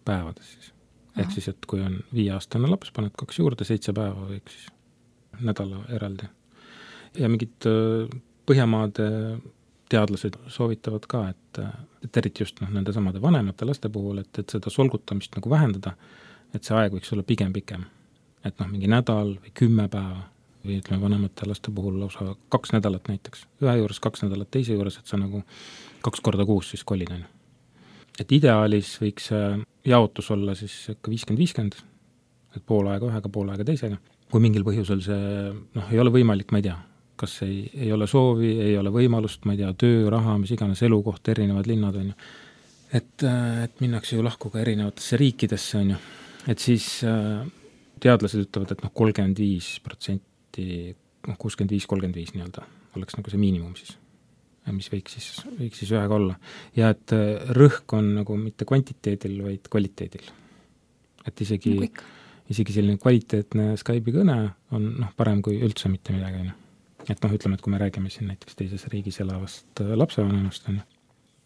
[SPEAKER 2] päevades siis. Ehk siis, et kui on 5-aastane laps, paned 2 juurde, 7 päeva võiks siis nädala eraldi. Ja mingid Põhjamaade teadlased soovitavad ka, et eriti just nende samade vanemate laste puhul, et seda solgutamist nagu vähendada, et see aeg võiks olla pigem pikem. Et mingi nädal või 10 päeva või ütleme vanemate laste puhul lausa 2 nädalat näiteks. Ühe juures 2 nädalat, teise juures, et sa nagu 2 korda kuus siis kolid on. Et ideaalis võiks jaotus olla siis ikka 50-50, et pool aega ühega, pool aega teisega. Kui mingil põhjusel see ei ole võimalik, ma ei tea, kas ei ole soovi, ei ole võimalust, ma ei tea, töö, raha, mis iganes elukoht, erinevad linnad on ju. Et minnakse ju lahku ka erinevatesse riikidesse on ju. Et siis teadlased ütlevad, et 35%, 65-35 nii-öelda oleks nagu see miinimum siis, mis võiks siis ühega olla. Ja et rõhk on nagu mitte kvantiteedil, vaid kvaliteedil. Et isegi selline kvaliteetne Skype'i kõne on parem kui üldse mitte midagi. Et ütleme, et kui me räägime siin näiteks teises riigis elavast lapsevanemast on.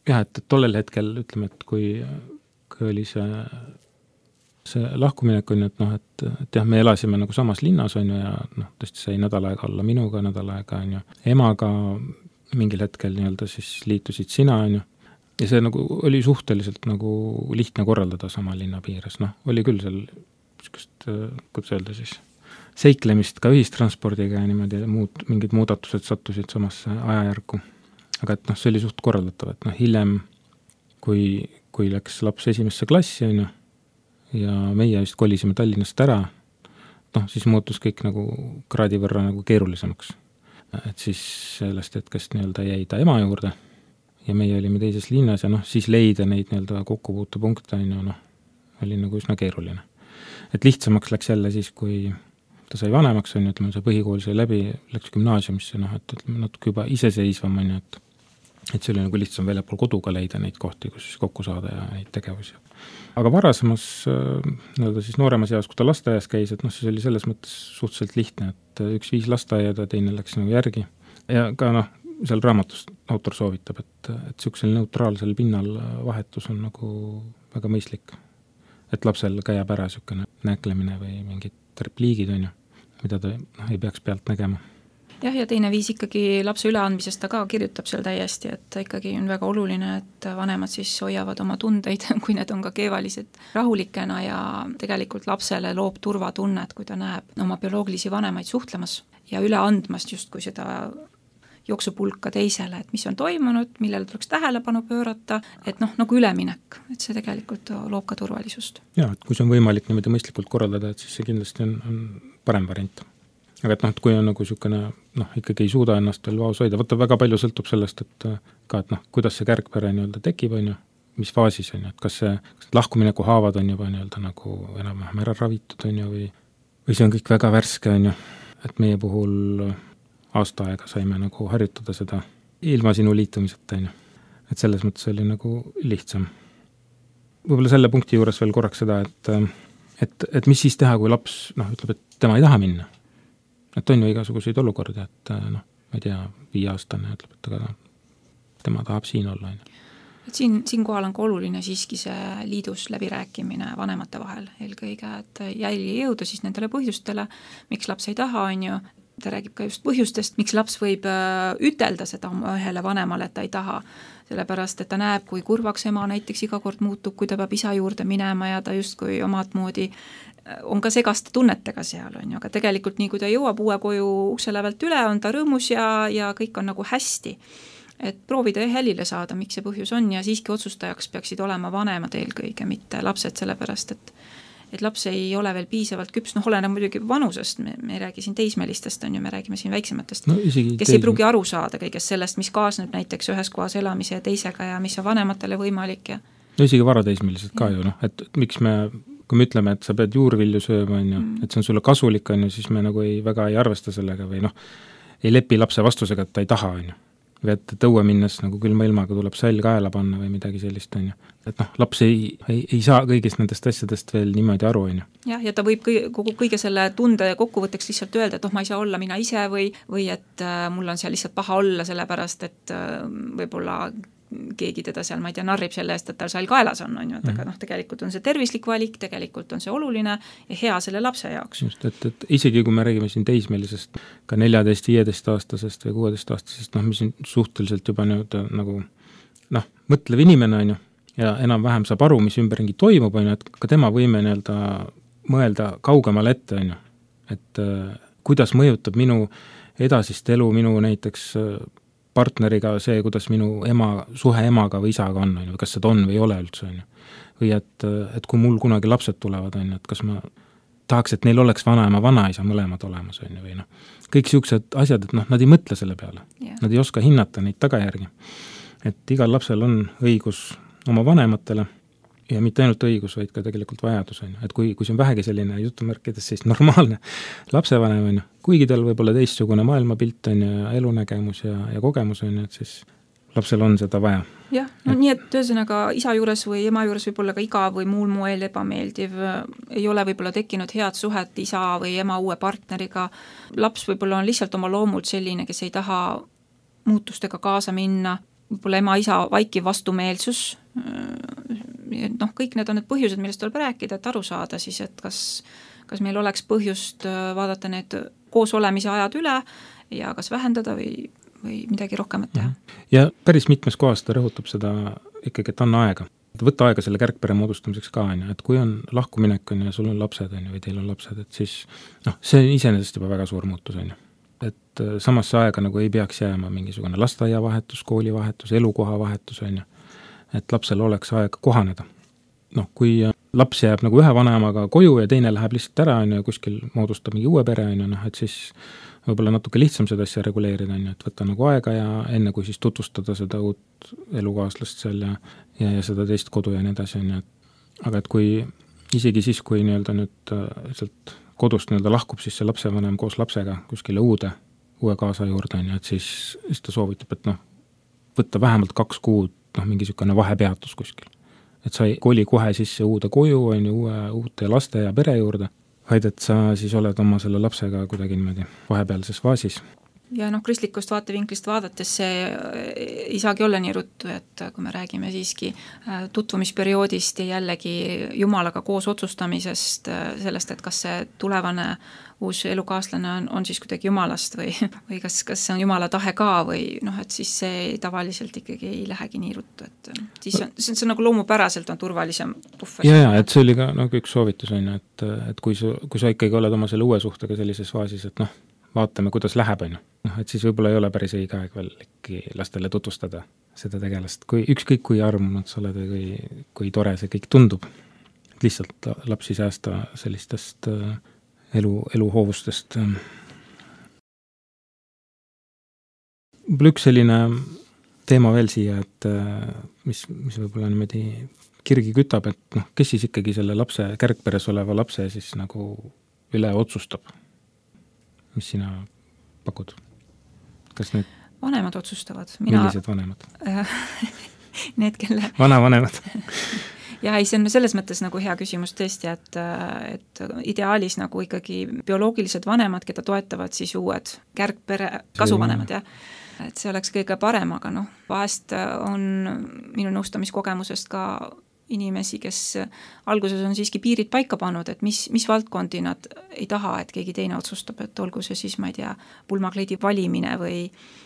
[SPEAKER 2] Jah, et tollel hetkel ütleme, et kui oli see lahkuminek on, et jah, me elasime nagu samas linnas on ju ja tõesti sai nädal aega olla minuga, nädal aega on ju emaga mingil hetkel nii-öelda siis liitusid sina on ju. Ja see nagu oli suhteliselt nagu lihtne korraldada sama linna piires. Oli küll seal kuidas öelda siis seiklemist ka ühistranspordiga ja niimoodi mingid muudatused sattusid samasse ajajärku. Aga et see oli suht korraldatav, et hiljem kui läks laps esimesse klassi on ju ja meie vist kolisime Tallinnast ära, siis muutus kõik nagu kraadi võrra nagu keerulisemaks. Et siis sellest hetkest nii-öelda jäi ta ema juurde ja meie olime teises linnas ja siis leida neid nii-öelda kokkupuutepunkte on ju, oli nagu üsna keeruline. Et lihtsamaks läks jälle siis, kui ta sai vanemaks on ju, ütleme see põhikool sai läbi, läks gümnaasiumisse, et natuke juba iseseisvam on ju, et see oli nagu lihtsam väljapool koduga leida neid kohti, kus siis kokku saada ja neid tegevusi. Aga varasemas, siis nooremas eas, kui ta lasteaias käis, et siis oli selles mõttes suhteliselt lihtne, et üks 5 lasteaiada, teine läks nagu järgi. Ja ka seal raamatus autor soovitab, et sellisel neutraalsel pinnal vahetus on nagu väga mõistlik. Et lapsel ka jääb ära selline näklemine või mingid repliigid on ju, mida ta ei peaks pealt nägema.
[SPEAKER 5] Jah, ja teine viis ikkagi lapse üleandmisest ta ka kirjutab seal täiesti, et ikkagi on väga oluline, et vanemad siis hoiavad oma tundeid, kui need on ka keevalised rahulikena ja tegelikult lapsele loob turvatunnet, kui ta näeb oma bioloogilisi vanemaid suhtlemas ja üle andmast justkui seda jooksupulka teisele, et mis on toimunud, millele tuleks tähelepanu pöörata, et noh, nagu üleminek, et see tegelikult loob ka turvalisust.
[SPEAKER 2] Jaa, et kui see on võimalik niimoodi mõistlikult korraldada, et siis see kindlasti on parem variant. Aga et noh, et kui on nagu niisugune, noh, ikkagi ei suuda ennast veel vaos hoida, võtta väga palju sõltub sellest, et ka, et noh, kuidas see kärgpere nii-öelda tekib, on ju, mis faasis on ju, et kas lahkumineku haavad on juba nii-öelda nagu enam-vähem ära ravitud, on ju, või see on kõik väga värske, on ju, et meie puhul aasta aega saime nagu harjutada seda ilma sinu liitumiseta, on ju. Et selles mõttes oli nagu lihtsam. Võib-olla selle punkti juures veel korraks seda, et mis siis teha, kui laps, noh, ütleb, et tema ei taha minna. Et on ju igasuguseid olukordi, et noh, ma ei tea, 5-aastane ütleb, et aga tema tahab siin olla.
[SPEAKER 5] Et siinkohal on ka oluline siiski see liidus läbirääkimine vanemate vahel eelkõige, et jälgi jõuda siis nendele põhjustele, miks laps ei taha, on ju, ta räägib ka just põhjustest, miks laps võib ütelda seda ühele vanemale, et ta ei taha, sellepärast, et ta näeb, kui kurvaks ema näiteks iga kord muutub, kui ta peab isa juurde minema ja ta justkui omad moodi on ka segaste tunnetega seal, on ju, aga tegelikult nii, kui ta jõuab uue koju ukse lävelt üle, on ta rõõmus ja kõik on nagu hästi. Et proovida hälile saada, miks see põhjus on ja siiski otsustajaks peaksid olema vanemad eelkõige, mitte lapsed, sellepärast, et laps ei ole veel piisavalt küps, noh, oleneb muidugi vanusest, me ei räägi siin teismelistest, on ju, me räägime siin väiksematest, no, kes ei pruugi aru saada kõigest sellest, mis kaasneb näiteks ühes kohas elamise ja teisega ja mis on vanematele võimalik. Ja
[SPEAKER 2] no isegi varateismelised ka ju, noh, et miks kui me ütleme, et sa pead juurvilju sööma, on ju, et see on sulle kasulik, on ju, siis me nagu väga ei arvesta sellega või noh, ei lepi lapse vastusega, et ta ei taha, on ju. Või et tõue minnes nagu külma ilmaga tuleb sall kaela panna või midagi sellist, on ju. Et noh, laps ei saa kõigist nendest asjadest veel niimoodi aru, on ju.
[SPEAKER 5] Jah, ja ta võib kõige selle tunde kokkuvõtteks lihtsalt öelda, et ma ei saa olla mina ise või et mul on seal lihtsalt paha olla, sellepärast, et võib-olla keegi teda seal, ma ei tea, narrib selle eest, et tal sall kaelas on ju, et aga noh, tegelikult on see tervislik valik, tegelikult on see oluline ja hea selle lapse jaoks.
[SPEAKER 2] Just, et isegi kui me räägime siin teismelisest, ka 14-15-aastasest või 16-aastasest, noh, mis on suhteliselt juba nagu noh, mõtlev inimene on ju, ja enam-vähem saab aru, mis ümberringi toimub, on ju, et ka tema võime mõelda kaugemale ette, on ju, et kuidas mõjutab minu edasist elu, minu näiteks partneriga see, kuidas minu suhe emaga või isaga on, kas seda on või ei ole üldse, on ju. Või et kui mul kunagi lapsed tulevad, on ju, et kas ma tahaks, et neil oleks vanaema, vanaisa mõlemad olemas, on ju, või noh. Kõik siuksed asjad, et noh, nad ei mõtle selle peale. Yeah. Nad ei oska hinnata neid tagajärgi. Et igal lapsel on õigus oma vanematele ja mitte ainult õigus, vaid ka tegelikult vajadus, on ju. Et kui see on vähegi selline jutumärkides siis normaalne lapsevanem, on ju, kuigi tal võib-olla teistsugune maailmapilt on ja elunägemus ja kogemus on ju, et siis lapsel on seda vaja.
[SPEAKER 5] Jah, no nii, et ühesõnaga isa juures või ema juures võib-olla ka igav või muul moel ebameeldiv, ei ole võib-olla tekkinud head suhet isa või ema uue partneriga. Laps võib-olla on lihtsalt oma loomult selline, kes ei taha muutustega kaasa minna, võib-olla ema-isa vaikiv vastumeelsus, noh, kõik need on need põhjused, millest tuleb rääkida, et aru saada siis, et kas meil oleks põhjust vaadata need koos olemise ajad üle ja kas vähendada või midagi rohkemat teha.
[SPEAKER 2] Ja päris mitmes kohas ta rõhutab seda ikkagi, et anna aega. Võtta aega selle kärgpere moodustamiseks ka, et kui on lahkuminek on ja sul on lapsed on või teil on lapsed, et siis noh, see on iseenesest juba väga suur muutus on. Et samasse aega nagu ei peaks jääma mingisugune lasteaiavahetus, koolivahetus, elukoha vahetus on. Et lapsel oleks aega kohaneda. Noh, kui laps jääb nagu ühe vanemaga koju ja teine läheb lihtsalt ära on ja kuskil moodustab mingi uue pere on, et siis võib-olla natuke lihtsam seda asja reguleerida on, et võtta nagu aega ja enne kui siis tutvustada seda uut elukaaslast seal ja seda teist kodu ja nii edasi on. Aga et kui isegi siis, kui nii-öelda nüüd sealt kodust nii-öelda lahkub siis see lapsevanem koos lapsega kuskile uue kaasa juurde on, et siis ta soovitab, et noh, võtta vähemalt 2 kuud mingi niisugune vahepeatus kuskil. Et sa ei koli kohe sisse uude koju on ju uute laste ja pere juurde, vaid et sa siis oled oma selle lapsega kuidagi niimoodi vahepealses faasis.
[SPEAKER 5] Ja noh, kristlikust vaatevinklist vaadates see ei saagi olla nii ruttu, et kui me räägime siiski tutvumisperioodist ja jällegi Jumalaga koos otsustamisest, sellest, et kas see tulevane uus elukaaslane on siis kuidagi Jumalast või kas see on Jumala tahe ka või noh, et siis see tavaliselt ikkagi ei lähegi nii ruttu, et siis see on nagu loomupäraselt on turvalisem puhver.
[SPEAKER 2] Ja, et see oli ka nagu üks soovitus on, et kui sa ikkagi oled oma selle uue suhtega sellises faasis, et noh, vaatame, kuidas läheb on. et siis võib-olla ei ole päris õige aeg veel ikkagi lastele tutvustada seda tegelast, ükskõik kui armunud sa oled või kui tore see kõik tundub. Lihtsalt lapsi säästa sellistest eluhoovustest. Üks selline teema veel siia, et mis võib-olla niimoodi kirgi kütab, et kes siis ikkagi selle lapse, kärgperes oleva lapse siis nagu üle otsustab? Mis sina pakud? Kas need
[SPEAKER 5] vanemad otsustavad.
[SPEAKER 2] Millised vanemad?
[SPEAKER 5] Need, kelle...
[SPEAKER 2] Vanavanemad.
[SPEAKER 5] Ja ei, see on selles mõttes nagu hea küsimus tõesti, et ideaalis nagu ikkagi bioloogilised vanemad, keda toetavad siis uued kärgpere kasuvanemad, jah. Et see oleks kõige parem, aga vahest on minu nõustamiskogemusest ka inimesi, kes alguses on siiski piirid paika pannud, et mis valdkondi nad ei taha, et keegi teine otsustab, et olgu see siis, ma ei tea, pulmakleidi valimine või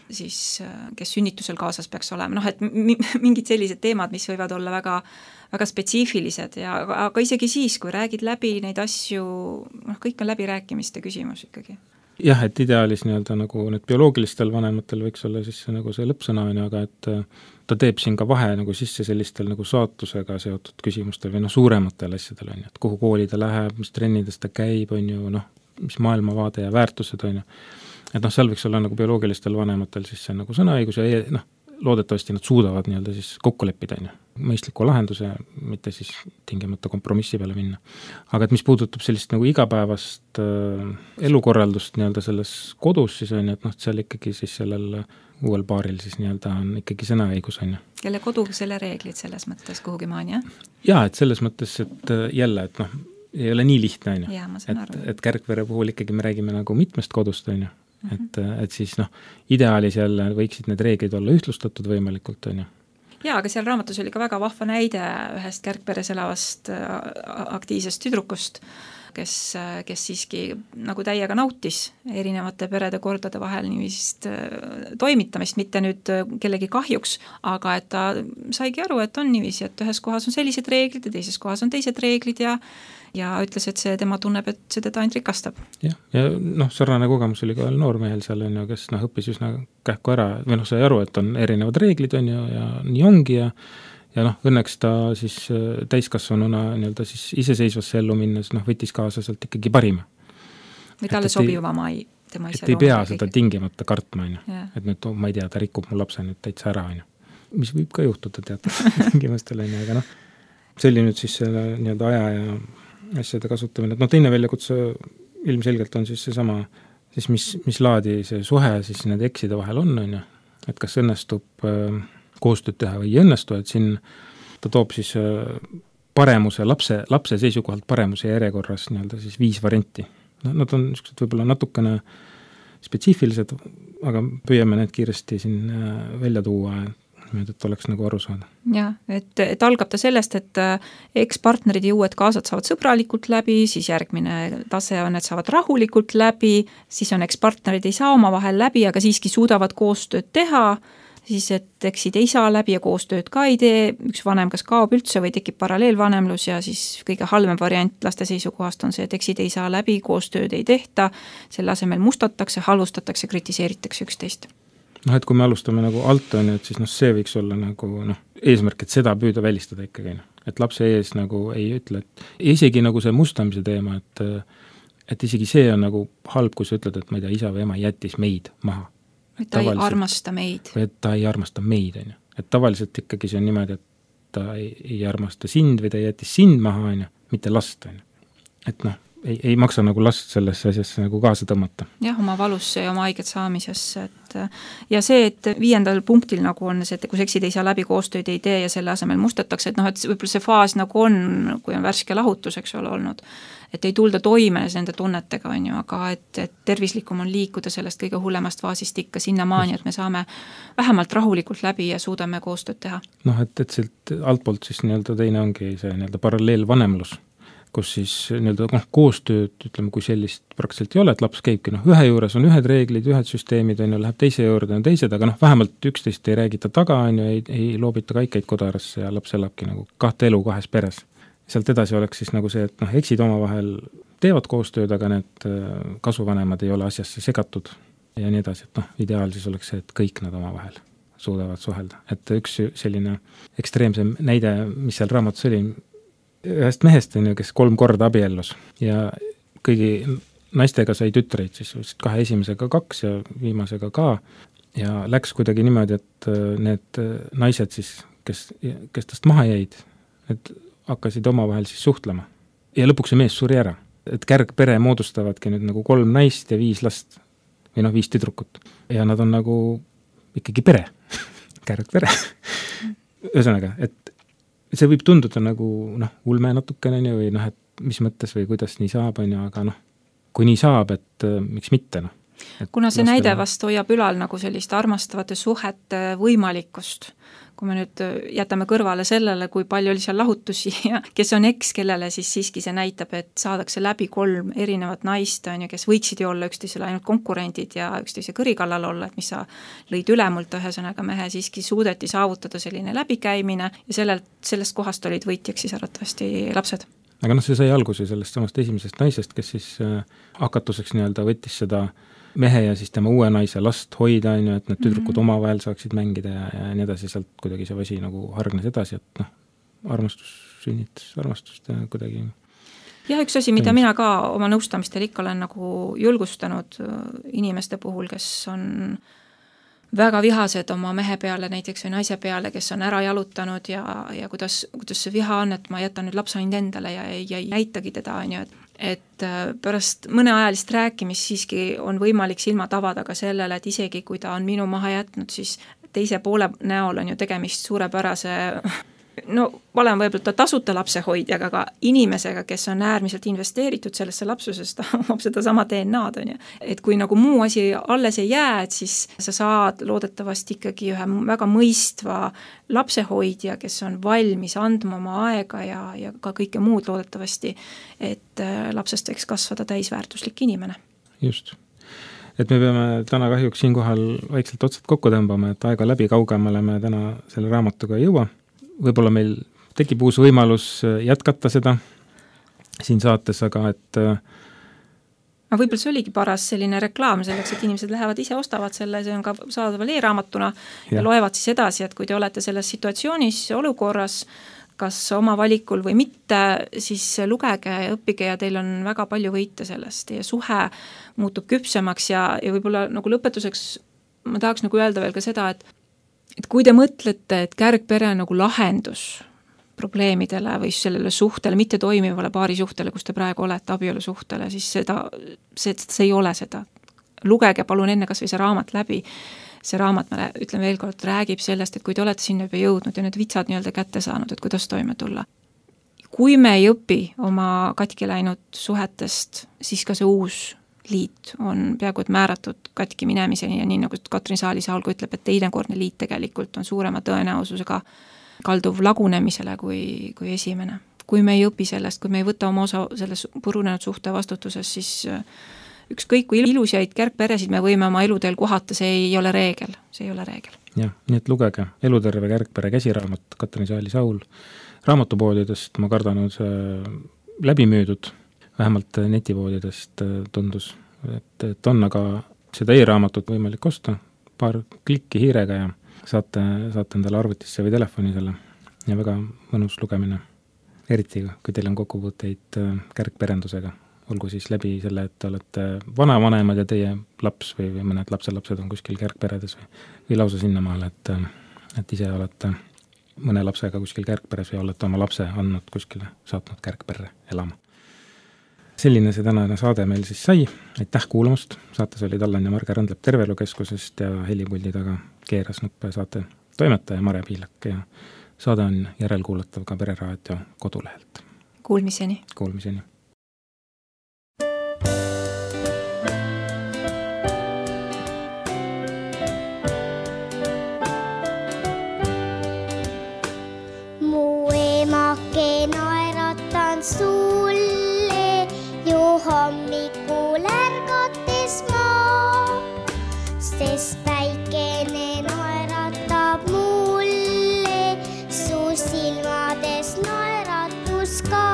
[SPEAKER 5] siis kes sünnitusel kaasas peaks olema. Et mingid sellised teemad, mis võivad olla väga, väga spetsiifilised, aga isegi siis, kui räägid läbi neid asju, kõik on läbirääkimiste küsimus ikkagi.
[SPEAKER 2] Jah, et ideaalis nii-öelda nagu need bioloogilistel vanematel võiks olla siis nagu see lõppsõna, aga et ta teeb siin ka vahe nagu sisse sellistel nagu saatusega seotud küsimustel või suurematel asjadel, et kuhu kooli ta läheb, mis trennides ta käib, mis maailmavaade ja väärtused, et seal võiks olla nagu bioloogilistel vanematel siis see nagu sõnaõigus ja loodetavasti nad suudavad nii-öelda siis kokku leppida, mõistliku lahenduse, mitte siis tingimata kompromissi peale minna. Aga et mis puudutab sellist nagu igapäevast elukorraldust nii-öelda selles kodus, siis et seal ikkagi siis sellel uuel paaril siis nii-öelda on ikkagi sõnaõigus.
[SPEAKER 5] Kelle kodu, selle reeglid selles mõttes kuhugi maani, jah?
[SPEAKER 2] Jaa, et selles mõttes, et jälle, et ei ole nii lihtne, et kärgpere puhul ikkagi me räägime nagu mitmest kodust, et siis ideaalis jälle võiksid need reeglid olla ühtlustatud võimalikult,
[SPEAKER 5] Jaa, aga seal raamatus oli ka väga vahva näide ühest kärgperes elavast aktiivsest tüdrukust, kes siiski nagu täiega nautis erinevate perede kordade vahel niivist toimitamist, mitte nüüd kellegi kahjuks, aga et ta saigi aru, et on niiviisi, et ühes kohas on sellised reeglid ja teises kohas on teised reeglid ja ütles, et see tema tunneb, et see teda ainult rikastab.
[SPEAKER 2] Ja sarnane kogemus oli ka noormehel seal, kes õppis üsna kähku ära, või sai aru, et on erinevad reeglid, ja nii ongi, ja õnneks ta siis täiskasvanuna nii-öelda siis iseseisvasse ellu minnes võttis kaasa sealt ikkagi parima.
[SPEAKER 5] Või talle sobivama tema ise.
[SPEAKER 2] Et ei pea seda tingimata kartma, et nüüd, ma ei tea, ta rikub mu lapse nüüd täitsa ära, mis võib ka juhtuda teatud tingimustel, aga see oli nüüd siis selle nii-öelda aja ja asjade kasutamine, et teine väljakutse ilmselgelt on siis seesama, siis mis laadi see suhe siis nende ekside vahel on, et kas õnnestub koostööd teha või ei õnnestu, et siin ta toob siis paremuse, lapse seisukohalt paremuse järjekorras nii-öelda siis 5 varianti. Nad on niisugused võib-olla natukene spetsiifilised, aga püüame need kiiresti siin välja tuua, et oleks nagu aru saada.
[SPEAKER 5] Jah, et algab ta sellest, et ekspartnerid ja uued kaasad saavad sõbralikult läbi, siis järgmine tase on, et saavad rahulikult läbi, siis on ekspartnerid ei saa oma vahel läbi, aga siiski suudavad koostööd teha, siis et eksid ei saa läbi ja koostööd ka ei tee, üks vanem kas kaob üldse või tekib paralleelvanemlus ja siis kõige halvem variant laste seisukohast on see, et eksid ei saa läbi, koostööd ei tehta, selle asemel mustatakse, halvustatakse, kritiseeritakse üksteist.
[SPEAKER 2] Et kui me alustame nagu alt, et siis see võiks olla nagu eesmärk, et seda püüda välistada ikkagi. Et lapse ees nagu ei ütle, et isegi nagu see mustamise teema, et isegi see on nagu halb, kui sa ütled, et ma ei tea, isa või ema jättis meid maha.
[SPEAKER 5] Et ta ei armasta meid.
[SPEAKER 2] Või et ta ei armasta meid, Et tavaliselt ikkagi see on niimoodi, et ta ei armasta sind või ta jättis sind maha, mitte last, Et ei maksa nagu last sellesse asjasse nagu kaasa tõmmata.
[SPEAKER 5] Jah, oma valusse ja oma haiget saamisesse, ja see, et 5. punktil nagu on see, et kui eksid ei saa läbi, koostööd ei tee ja selle asemel mustatakse, et et võib-olla see faas nagu on, kui on värske lahutus, eks ole, olnud, et ei tulda toime nende tunnetega, aga et tervislikum on liikuda sellest kõige hullemast faasist ikka sinnamaani, et me saame vähemalt rahulikult läbi ja suudame koostööd teha.
[SPEAKER 2] Et sealt altpoolt siis nii-öelda teine ongi see nii-öelda paralleelvanemlus, kus siis nii-öelda koostööd, ütleme, kui sellist praktiliselt ei ole, et laps käibki, ühe juures on ühed reeglid, ühed süsteemid, läheb teise juurde on teised, aga vähemalt üksteist ei räägita taga, ei loobita kaikaid kodarasse ja laps elabki nagu 2 elu 2 peres. Sealt edasi oleks siis nagu see, et eksid omavahel teevad koostööd, aga need kasuvanemad ei ole asjasse segatud ja nii edasi, et ideaal siis oleks see, et kõik nad omavahel suudavad suhelda. Et üks selline ekstreemsem näide, mis seal raamatus oli, ühest mehest, kes 3 korda abiellus ja kõigi naistega sai tütreid, siis 2 esimesega 2 ja viimasega ka, ja läks kuidagi niimoodi, et need naised siis, kes tast maha jäid, et hakkasid omavahel siis suhtlema. Ja lõpuks see mees suri ära. Et kärgpere moodustavadki nüüd nagu 3 naist ja 5 last või 5 tüdrukut. Ja nad on nagu ikkagi pere, kärgpere. Ühesõnaga, et see võib tunduda nagu ulme natukene või et mis mõttes või kuidas nii saab, aga kui nii saab, et miks mitte.
[SPEAKER 5] Kuna see näide vast hoiab ülal nagu sellist armastavate suhete võimalikkust, kui me nüüd jätame kõrvale sellele, kui palju oli seal lahutusi ja kes on eks, kellele siis siiski see näitab, et saadakse läbi 3 erinevat naist, kes võiksid ju olla üksteisele ainult konkurendid ja üksteise kõrikallal olla, et mis sa lõid ülemult, ühesõnaga mehe siiski suudeti saavutada selline läbikäimine ja sellest kohast olid võitjaks siis arvatavasti lapsed.
[SPEAKER 2] Aga see sai alguse sellest samast esimesest naisest, kes siis hakatuseks võttis seda mehe ja siis tema uue naise last hoida, et need tüdrukud omavahel saaksid mängida ja nii edasi, sealt kuidagi see vasi nagu hargnes edasi, et armastus sünnitas armastust ja kuidagi.
[SPEAKER 5] Ja üks asi, mida mina ka oma nõustamistel ikka olen nagu julgustanud inimeste puhul, kes on väga vihased oma mehe peale näiteks või naise peale, kes on ära jalutanud ja kuidas see viha on, et ma jätan nüüd lapse ainult endale ja ei näitagi teda, et pärast mõneajalist rääkimist siiski on võimalik silmad avada ka sellele, et isegi kui ta on minu maha jätnud, siis teise poole näol on ju tegemist suurepärase vale on võib-olla tasuta lapsehoidjaga, aga inimesega, kes on äärmiselt investeeritud sellesse lapsusest, ta omab seda sama DNA-d, on ju. Et kui nagu muu asi alles ei jää, et siis sa saad loodetavasti ikkagi ühe väga mõistva lapsehoidja, kes on valmis andma oma aega ja ka kõike muud loodetavasti, et lapsest võiks kasvada täisväärtuslik inimene.
[SPEAKER 2] Just. Et me peame täna kahjuks siinkohal vaikselt otsad kokku tõmbama, et aega läbi kaugemale me täna selle raamatuga ei jõua. Võib-olla meil tekib uus võimalus jätkata seda siin saates, aga et
[SPEAKER 5] võib-olla see oligi paras selline reklaam selleks, et inimesed lähevad ise, ostavad selle, see on ka saadaval e-raamatuna ja loevad siis edasi, et kui te olete selles situatsioonis olukorras, kas oma valikul või mitte, siis lugege ja õppige ja teil on väga palju võita sellest. Teie suhe muutub küpsemaks ja võib-olla nagu lõpetuseks ma tahaks nagu öelda veel ka seda, et kui te mõtlete, et kärgpere on nagu lahendus probleemidele või sellele suhtele, mitte toimivale paari suhtele, kus te praegu olete, abielusuhtele, siis see ei ole seda. Lugege palun enne kas või see raamat läbi. See raamat, ma ütlen veel kord, räägib sellest, et kui te olete sinna juba jõudnud ja need vitsad kätte saanud, et kuidas toime tulla. Kui me ei õpi oma katki läinud suhetest, siis ka see uus liit on peaaegu et määratud katki minemiseni ja nii nagu Katrin Saali-Saul ütleb, et teinekordne liit tegelikult on suurema tõenäosusega kalduv lagunemisele kui esimene. Kui me ei õpi sellest, kui me ei võta oma osa selles purunenud suhte vastutuses, siis ükskõik kui ilusaid kärgperesid me võime oma eluteel kohata, see ei ole reegel.
[SPEAKER 2] Jah, nii et lugege Eluterve kärgpere käsiraamat Katrin Saali-Saul. Raamatupoodidest ma kardan on see läbimüüdud, vähemalt netipoodidest tundus, et on aga seda e-raamatut võimalik osta, paar klikki hiirega ja saate endale arvutisse või telefoni selle ja väga mõnus lugemine. Eriti, kui teil on kokkupuuteid kärgperendusega, olgu siis läbi selle, et te olete vanavanemad ja teie laps või mõned lapselapsed on kuskil kärgperedes või lausa sinnamaale, et ise olete mõne lapsega kuskil kärgperes või olete oma lapse andnud kuskile, saatnud kärgperre elama. Selline see tänane saade meil siis sai. Aitäh kuulamast. Saates olid Allan ja Marge Randlep Tervelukeskusest ja helipuldi taga keeras nuppe saate toimetaja Mare Piilak ja saade on järelkuulatav ka Pereraadio kodulehelt.
[SPEAKER 5] Kuulmiseni.
[SPEAKER 6] Mu emake naeratan sulle hommikul ärgates ma, sest päikene naeratab mulle, su silmades naeratus ka.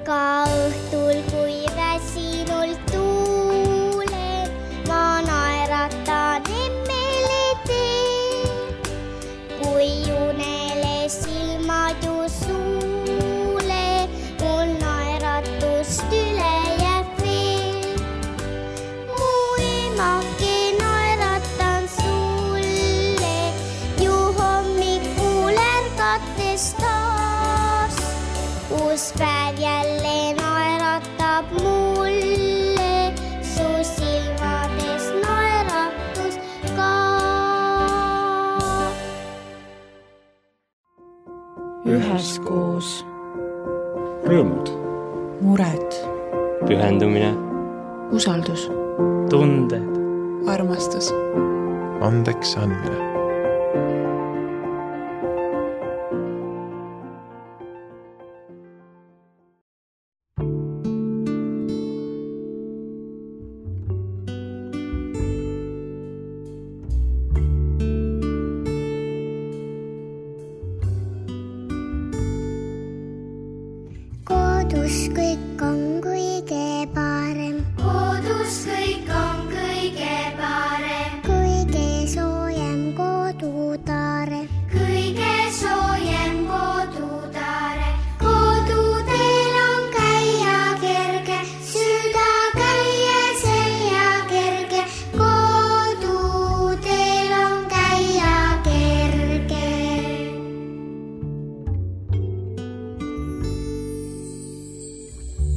[SPEAKER 6] ka õhtul, kui väsinult tuulen, ma naeratan emmele teen. Kui unele silmad ju suule, mul naeratust üle jääb veel. Mu emake naeratan sulle, ju hommikul ärgates taas. Uus päev jälle naeratab mulle, su silmades naeratus ka.
[SPEAKER 1] üheskoos.
[SPEAKER 4] rõõmud,
[SPEAKER 1] mured,
[SPEAKER 3] pühendumine,
[SPEAKER 1] usaldus,
[SPEAKER 3] tunded,
[SPEAKER 1] armastus.
[SPEAKER 4] andeks andmine.
[SPEAKER 6] Kodus kõik on kõige parem. Kodus kõik on kõige parem. Kõige soojem kodutaare. Kõige soojem kodutaare. Kodudel on käia kerge, süda käia selja kerge. Kodudel on käia kerge.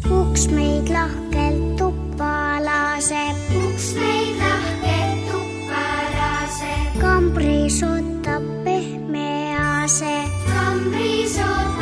[SPEAKER 6] Uks meid lahkelt tuppa laseb. Uks meid lahkelt tuppa laseb. Kambris ootab pehme ase. Kambris ootab